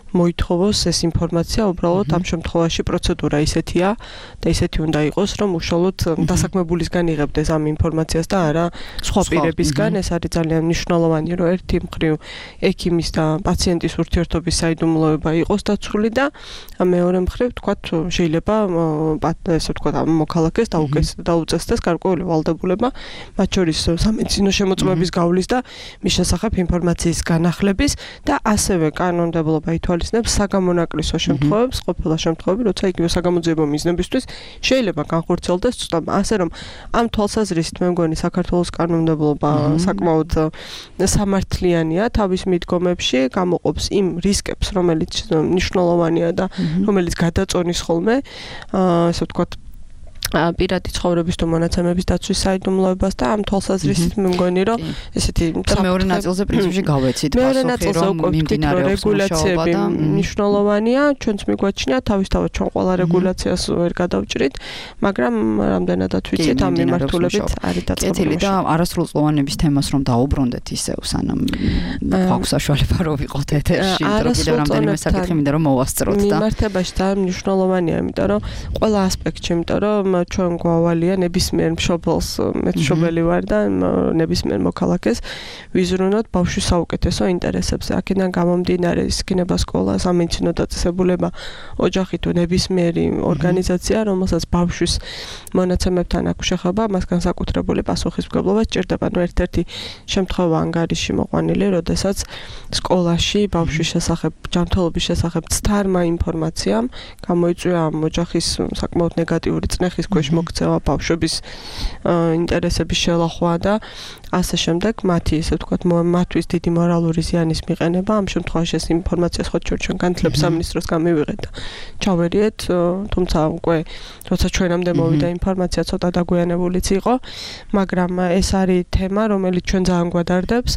მოითხოვოს ეს ინფორმაცია, უბრალოდ ამ შემთხვევაში პროცედურა ისეთია და ისეთი უნდა იყოს, რომ უშუალოდ დასაქმებულისგან იღებდეს ამ ინფორმაციას და არა სხვა პირებისგან. ეს არის ძალიან მნიშვნელოვანი, რომ ერთი მხრივ ექიმის და პაციენტის ურთიერთობის საიდუმლოება იყოს დაცული და მეორე მხრივ თქვათ შეიძლება ესე ვთქვათ ამ მოქალაქეს დაუწესდეს გარკვეული ვალდებულება, მათ შორის სამედიცინო შემოწმების გავლის და მის შესახებ ინფორმაციის განახლების და ასევე კანონმდებლობა ითვალისწინებს ითვალისწინებს საგამონაკლისო შემთხვევებს, ყოფილა შემთხვევები, როცა იგივე საგამოძიებო მიზნებისთვის შეიძლება განხორციელდეს ცდობა. ასე რომ ამ თვალსაზრისით მე მგონი საქართველოს კანონმდებლობა საკმაოდ სამართლიანია თავის მიდგომებში, გამოყოფს იმ რისკებს, რომელიც მნიშვნელოვანია და რომელიც გადაწონის ხოლმე, ასე ვთქვათ, პირადი ცხოვრების თუ მონაცემების დაცვის საიდუმლოებას და ამ თვალსაზრისით მე მგონი რომ ესეთი მეორე ნაწილზე პრინციპში გავეცით პასუხი რომ მიმდინარეობს რეგულაციები მნიშვნელოვანია ჩვენც მიგვაჩნია თავისთავად ჩვენ ყველა რეგულაციას ვერ გადავჭრით მაგრამ რამდენადაც ვიცით ამ მიმართულებით არის დაწყებული და არასრულწლოვანების თემას რომ დაუბრუნდეთ ისევ სანამ აქვს საშუალება რომ ვიყოთ ეთერში რომ კიდევ რამდენიმე საკითხი მინდა რომ მოვასწროთ და მიმართებაში და მნიშვნელოვანია იმიტომ რომ ყველა ასპექტში იმიტომ რომ ჩვენ გვავალია ნებისმიერ მშობელს მე მშობელი ვარ და ნებისმიერ მოქალაქეს ვიზრუნოთ ბავშვის საუკეთესო ინტერესებზე. აქედან გამომდინარე ის იქნება სკოლა, სამედიცინო დაწესებულება, ოჯახი თუ ნებისმიერი ორგანიზაცია, რომელსაც ბავშვის მონაცემებთან აქვს შეხება, მას განსაკუთრებული პასუხისმგებლობა სჭირდება. ერთ-ერთი შემთხვევა ანგარიში მოყვანილი, როდესაც სკოლაში ბავშვის შესახებ, ჯანმრთელობის შესახებ ცდარმა ინფორმაციამ გამოიწვია ამ ოჯახის საკმაოდ ნეგატიური წნეხის ქვეშ მოქცევა ბავშვების ინტერესების შელახვა და ასე შემდეგ მათი ესე ვთქვათ მათთვის დიდი მორალური ზიანის მიყენება ამ შემთხვევაში ეს ინფორმაცია სხვა ჩვენ განათლების სამინისტროს გამივიღეთ და ჩავერიეთ თუმცა უკვე როცა ჩვენამდე მოვიდა ინფორმაცია ცოტა დაგვიანებულიც იყო მაგრამ ეს არის თემა რომელიც ჩვენ ძალიან გვადარდებს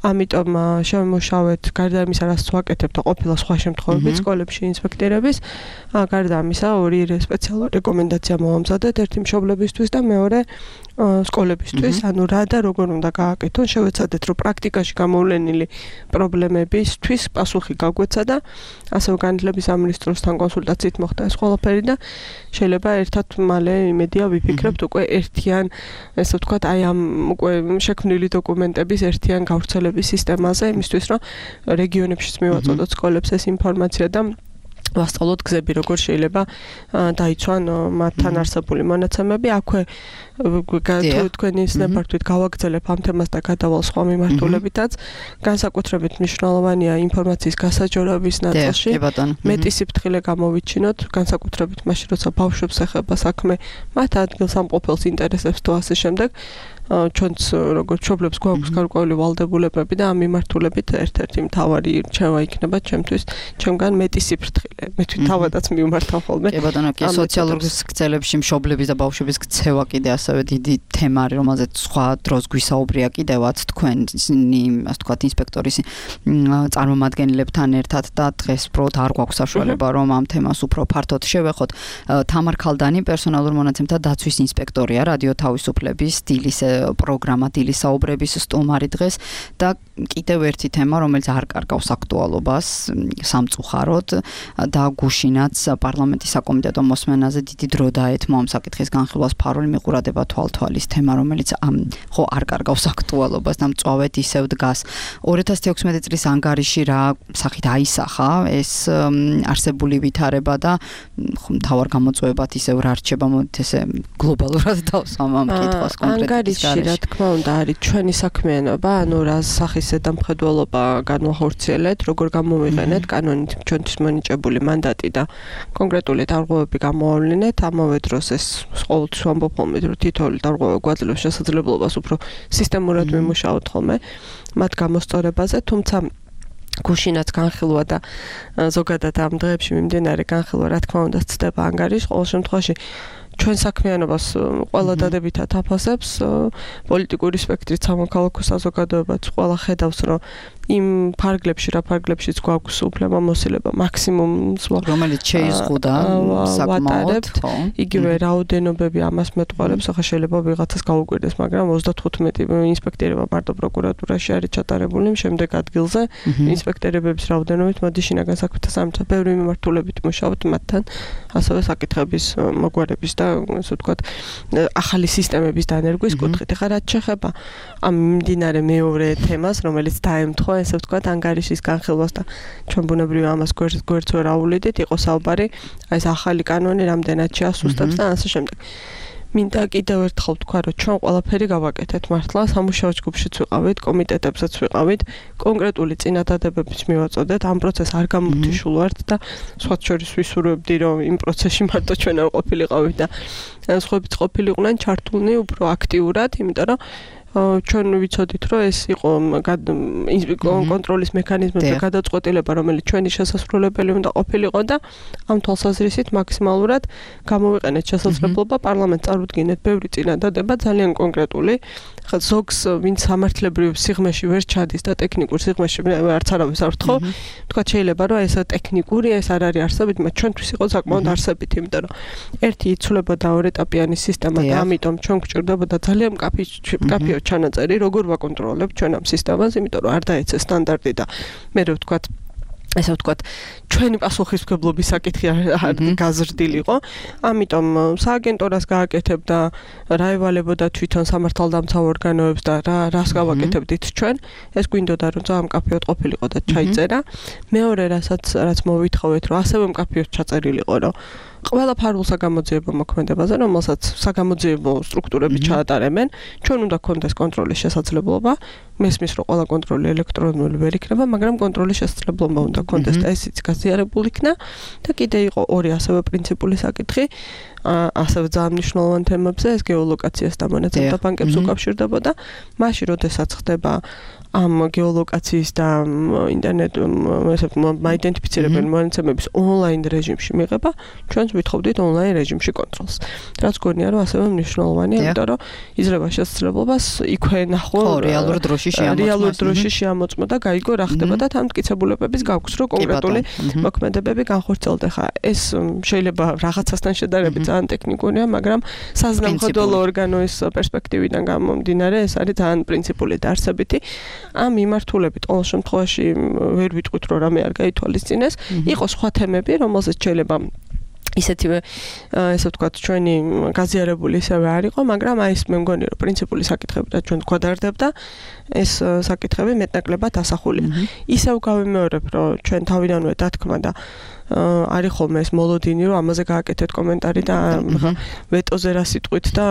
ამიტომ შევიმუშავეთ გარდა იმისა რაც ვაკეთებთ და ყოფილა სხვა შემთხვევებით სკოლებში ინსპექტირების გარდა ამისა ორი სპეციალური რეკომენდაცია მოვამზადეთ ერთი მშობლებისთვის და მეორე სკოლებისთვის ანუ რა და როგორ უნდა გააკეთონ შევეცადეთ რომ პრაქტიკაში გამოვლენილი პრობლემებისთვის პასუხი გაგვეცა და ასევე განათლების სამინისტროსთან კონსულტაციით მოხდა ეს ყველაფერი და შეიძლება ერთად მალე იმედია ვიფიქრებთ უკვე ერთიან ესე ვთქვათ აი ამ უკვე შექმნილი დოკუმენტების ერთიან გავრცელების სისტემაზე იმისთვის რომ რეგიონებშიც მივაწოდოთ სკოლებს ეს ინფორმაცია და ვასწავლოთ გზები როგორ შეიძლება დაიცვან მათთან არსებული მონაცემები აქვე თქვენი სნეპარტვით გავაგრძელებ ამ თემას და გადავალ სხვა მიმართულებითაც განსაკუთრებით მნიშვნელოვანია ინფორმაციის გასაჯორების ნაწილში მეტი სიფრთხილე გამოვიჩინოთ განსაკუთრებით მაშინ როცა ბავშვებს ეხება საქმე მათ ადგილს ამყოფელს ინტერესებს თუ ასე შემდეგ ჩვენც როგორც მშობლებს გვაქვს გარკვეული ვალდებულებები და ამ მიმართულებით ერთ-ერთი მთავარი რჩევა იქნება ჩემთვის ჩემგან მეტი სიფრთხილე მე თვითონ თავადაც მივმართავ ხოლმე კი ბატონო კი სოციალურ გზელებში მშობლების და ბავშვების ქცევა კიდე ასევე დიდი თემა არის რომელზეც სხვა დროს გვისაუბრია კიდევაც თქვენი ასე ვთქვათ ინსპექტორის წარმომადგენლებთან ერთად და დღეს უბრალოდ არ გვაქვს საშუალება რომ ამ თემას უფრო ფართოდ შევეხოთ თამარ ქალდანი პერსონალურ მონაცემთა დაცვის ინსპექტორია რადიო თავისუფლების დილის პროგრამა დილის საუბრების სტუმარი დღეს და კიდევ ერთი თემა რომელიც არ კარგავს აქტუალობას სამწუხაროდ და გუშინაც პარლამენტის საკომიტეტო მოსმენაზე დიდი დრო დაეთმო ამ საკითხის განხილვას ფარული მიყურადება თვალთვალის თემა რომელიც ხო არ კარგავს აქტუალობას და მწვავედ ისევ დგას 2016 წლის ანგარიში რა სახით აისახა ეს არსებული ვითარება და მთავარ გამოწვევებად ისევ რა რჩება მოდით ესე გლობალურად დავსვამ ამ კითხვას კონკრეტულად რა თქმა უნდა არის ჩვენი საქმიანობა ანუ რა სახის ზედამხედველობა განვახორციელეთ როგორ გამოვიყენეთ კანონით ჩვენთვის მონიჭებული მანდატი და კონკრეტული დარღვევები გამოავლინეთ ამავე დროს ეს ყოველთვის ვამბობ ხოლმე რომ თითოეული დარღვევა გვაძლევს შესაძლებლობას უფრო სისტემურად ვიმუშაოთ ხოლმე მათ გამოსწორებაზე თუმცა გუშინაც განხილვა და ზოგადად ამ დღეებში მიმდინარე განხილვა რა თქმა უნდა ცდება ანგარიშს ყოველ შემთხვევაში ჩვენ საქმიანობას ყველა დადებითად აფასებს პოლიტიკური სპექტრით სამოქალაქო საზოგადოებაც ყველა ხედავს რომ იმ ფარგლებში რა ფარგლებშიც გვაქვს უფლება მოსილება მაქსიმუმს რომელიც შეიზღუდა საკმაოდ იგივე რაოდენობები ამას მეტყველებს ახლა შეიძლება ვიღაცას გაუკვირდეს მაგრამ 35 ინსპექტორება მარტო პროკურატურაში არის ჩატარებული შემდეგ ადგილზე ინსპექტორების რაოდენობით მოდი შინაგან საქმეთა სამინისტროს ბევრი მიმართულებით მუშაობთ მათთან ასევე საკითხების მოგვარების და ასე ვთქვათ ახალი სისტემების დანერგვის კუთხით ახლა რაც შეეხება ამ მიმდინარე მეორე თემას რომელიც დაემთხვა ესე ვთქვათ ანგარიშის განხილვას და ჩვენ ბუნებრივია ამას გვერდს ვერ აუვლიდით იყო საუბარი ეს ახალი კანონი რამდენად შეასუსტებს და ასე შემდეგ მინდა კიდევ ერთხელ თქვა, რომ ჩვენ ყველაფერი გავაკეთეთ მართლა, სამუშაო ჯგუფშიც ვიყავით, კომიტეტებსაც ვიყავით, კონკრეტული წინადადებებიც მივაწოდეთ, ამ პროცესს არ გამოვთიშულვართ და სხვათ შორის ვისურვებდი, რომ იმ პროცესში მარტო ჩვენ არ ყოფილიყავით და სხვაებიც ყოფილიყვნენ ჩართულნი უფრო აქტიურად, იმიტომ რომ ჩვენ ვიცოდით, რომ ეს იყო კონტროლის მექანიზმებზე გადაწყვეტილება, რომელიც ჩვენი შესასრულებელი უნდა ყოფილიყო და ამ თვალსაზრისით მაქსიმალურად გამოვიყენეთ შესაძლებლობა პარლამენტს წარუდგინეთ ბევრი წინადადება ძალიან კონკრეტული. ზოგს ვინც სამართლებრივ სიღრმეში ვერ ჩადის და ტექნიკურ სიღრმეში არც არავის არ ვთხოვ, თქვა შეიძლება რომ ეს ტექნიკური ეს არ არის არსებით, მაგრამ ჩვენთვის იყო საკმაოდ არსებით, იმიტომ რომ ერთი იცვლებოდა ორეტაპიანი სისტემა და ამიტომ ჩვენ გვჭირდებოდა ძალიან კაფეო ჩანაწერი, როგორ ვაკონტროლებთ ჩვენ ამ სისტემას, იმიტომ რომ არ დაეცე სტანდარტი და მე რო ვთქვათ ესე ვთქვათ, ჩვენი პასუხისმგებლობის საკითხი არ გაზრდილიყო, ამიტომ სააგენტორას გააკეთებდა, რა ევალებოდა თვითონ სამართალდამცავ ორგანოებს და რას გავაკეთებდით ჩვენ, ეს გვინდოდა რომ ძალიან მკაფიოდ ყოფილიყო და ჩაიწერა. მეორე რაც მოვითხოვეთ, რომ ასევე მკაფიოდ ჩაწერილიყო, რომ ყველა ფარულ საგამოძიებო მოქმედებაზე, რომელსაც საგამოძიებო სტრუქტურები ჩაატარებენ, ჩვენ უნდა გქონდეს კონტროლის შესაძლებლობა. მესმის რომ ყველა კონტროლი ელექტრონული ვერ იქნება, მაგრამ კონტროლის შესაძლებლობა უნდა გქონდეს და ესიც გაზიარებული იქნა და კიდე იყო ორი ასევე პრინციპული საკითხი, ასევე ძალიან მნიშვნელოვან თემებზე, ეს გეოლოკაციას და მონაცემთა ბანკებს უკავშირდებოდა. მაშინ, როდესაც ხდება ამ გეოლოკაციის და ინტერნეტ მაიდენტიფიცირებელი მონაცემების ონლაინ რეჟიმში მიღება, ჩვენც ვითხოვდით ონლაინ რეჟიმში კონტროლს. რაც გონია, რომ ასევე მნიშვნელოვანია, იმიტომ რომ იძლევა შესაძლებლობას იქვე ნახო რეალურ დროში შეამოწმო და გაიგო რა ხდება და თან მტკიცებულებების გაქვს, რომ კონკრეტული მოქმედებები განხორციელდა. ხა ეს შეიძლება რაღაცასთან შედარებით ძალიან ტექნიკურია, მაგრამ საზნამხედველო ორგანოის პერსპექტივიდან გამომდინარე, ეს არის ძალიან პრინციპული და არსებითი. ამ მიმართულებით ყოველ შემთხვევაში ვერ ვიტყვით, რომ რამე არ გაითვალისწინეს. იყო სხვა თემები, რომელზეც შეიძლება ისეთივე ესე ვთქვათ, ჩვენი გაზიარებული ისევე არ იყო, მაგრამ აი ეს მე მგონი, რომ პრინციპული საკითხები და ჩვენ გვადარდებდა, ეს საკითხები მეტნაკლებად ასახულია. ისევ გავიმეორებ, რომ ჩვენ თავიდანვე დათქმა და არის ხოლმე ეს მოლოდინი, რომ ამაზე გააკეთეთ კომენტარი და ვეტოზე რა სიტყვით და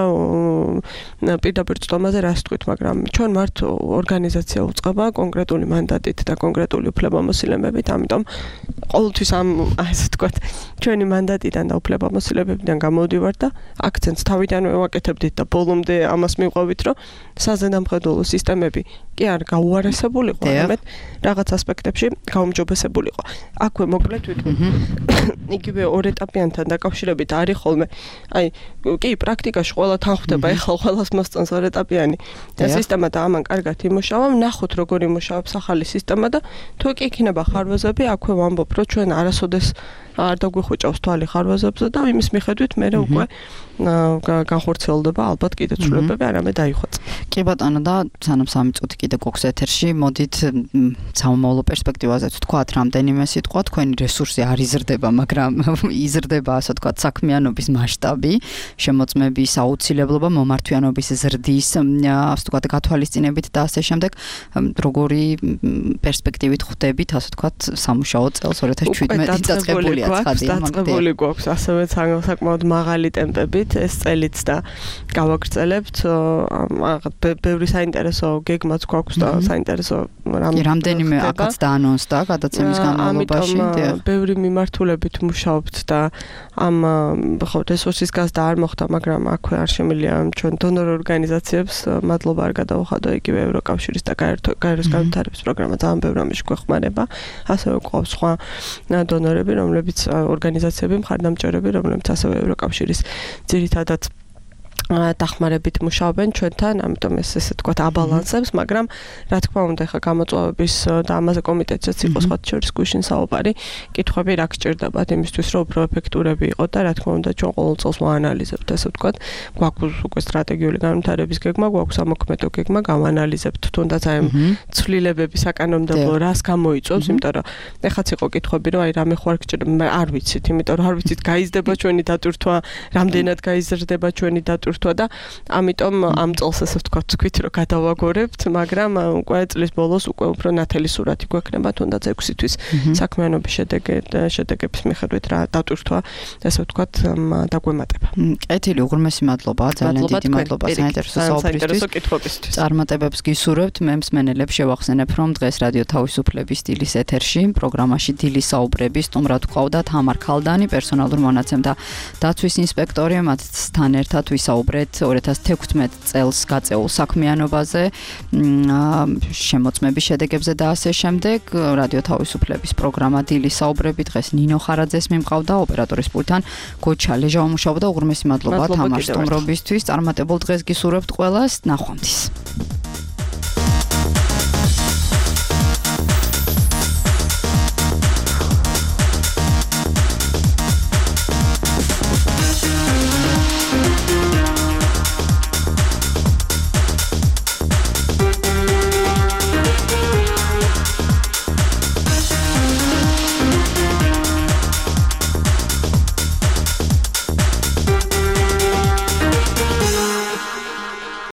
პირდაპირ წვდომაზე რა სიტყვით, მაგრამ ჩვენ ვართ ორგანიზაცია უწყება კონკრეტული მანდატით და კონკრეტული უფლებამოსილებით, ამიტომ ყოველთვის ამ ასე ვთქვათ, ჩვენი მანდატიდან და უფლებამოსილებებიდან გამოვდივართ და აქცენტს თავიდანვე ვაკეთებდით და ბოლომდე ამას მივყვებით, რომ საზედამხედველო სისტემები კი არ გაუარესებულიყო, არამედ რაღაც ასპექტებში გაუმჯობესებულიყო. აქვე მოკლედ ვიტყვი იგივე ორეტაპიანთან დაკავშირებით არის ხოლმე. აი, კი, პრაქტიკაში ყველა თან ხვდება, ეხლა ყველას მოსწონს ორეტაპიანი სისტემა და ამან კარგად იმუშავა, ნახოთ როგორ იმუშავებს ახალი სისტემა და თუ კი იქნება ხარვეზები, აქვე ვამბობ, რომ ჩვენ არასოდეს არ დაგვიხუჭავს თვალი ხარვეზებზე და იმის მიხედვით მე უკვე განხორციელდება ალბათ კიდე ცვლილებები, არამედ დაიხვეწ. კი ბატონო და სანამ 3 წუთი კიდე გვაქვს ეთერში, მოდით სამომავლო პერსპექტივაზეც ვთქვათ, რამდენიმე სიტყვა, თქვენი რესურსი არ იზრდება, მაგრამ იზრდება, ასე ვთქვათ, საქმიანობის მასშტაბი, შემოწმების აუცილებლობა, მომართვიანობის ზრდის, ასე ვთქვათ, გათვალისწინებით და ასე შემდეგ, როგორი პერსპექტივით ხვდებით, ასე ვთქვათ, სამუშაო წელს 2017 დაწყებულია ცხადია, დაწყებული გვაქვს ასევე საკმაოდ მაღალი ტემპებით ეს წელიც და გავაგრძელებთ. ბევრი საინტერესო გეგმაც გვაქვს და საინტერესო რამდენიმე აქაც დაანონსდა გადაცემის განმავლობაში. ბევრი მიმართულებით მუშაობთ და ამ რესურსის გაზრდა არ მოხდა, მაგრამ აქვე არ შემიძლია ჩვენ დონორ ორგანიზაციებს მადლობა არ გადავუხადო, იგივე ევროკავშირის და გაეროს განვითარების პროგრამა ძალიან ბევრ ამაში გვეხმარება. ასევე გვყავს სხვა დონორები, რომლებიც ორგანიზაციები, მხარდამჭერები, რომლებიც ასევე ევროკავშირის ძირითადად დახმარებით მუშაობენ ჩვენთან, ამიტომ ესე ვთქვათ აბალანსებს, მაგრამ რა თქმა უნდა, ხა გამოწვევების და ამაზე კომიტეტსაც იყო სხვა შორის გუშინ საუბარი, კითხვები რა გჭირდებათ იმისთვის, რომ უფრო ეფექტურები იყოთ და რა თქმა უნდა, ჩვენ ყოველ წელს ვაანალიზებთ, ესე ვთქვათ, გვაქვს უკვე სტრატეგიული განვითარების გეგმა, გვაქვს სამოქმედო გეგმა, გავანალიზებთ თუნდაც აი ცვლილებები საკანონმდებლო რას გამოიწვევს, იმიტომ რომ ეხაც იყო კითხვები, რომ აი რამე ხوار გჭირდება, არ ვიცით, იმიტომ რომ არ ვიცით, გაიზრდება ჩვენი დატვირთვა, რამდენად გაიზრდება ჩვენი დატვირთვა დატვირთვა და ამიტომ ამ წელს ესე ვთქვათ თქვით რომ გადავაგორებთ, მაგრამ უკვე წლის ბოლოს უკვე უფრო ნათელი სურათი გვექნება თუნდაც 6 თვის საქმიანობის შედეგების მიხედვით რა დატვირთვა ესე ვთქვათ დაგვემატება. კეთილი, უღრმესი მადლობა, ძალიან დიდი მადლობა საინტერესო კითხვებისთვის. წარმატებებს გისურვებთ. მე მსმენელებს შევახსენებ, რომ დღეს რადიო თავისუფლების დილის ეთერში პროგრამაში დილის საუბრები სტუმრად გვყავდა თამარ ქალდანი, პერსონალურ მონაცემთა დაცვის ინსპექტორი. მათთან ერთად ვისაუბრეთ 2016 წელს გაწეულ საქმიანობაზე, შემოწმების შედეგებზე და ასე შემდეგ. რადიო თავისუფლების პროგრამა დილის საუბრები დღეს ნინო ხარაძეს მიმყავდა, ოპერატორის პულტთან გოჩა ლეჟავა მუშაობდა. უღრმესი მადლობა თამარ სტუმრობისთვის. წარმატებულ დღეს გისურვებთ ყველას. ნახვამდის.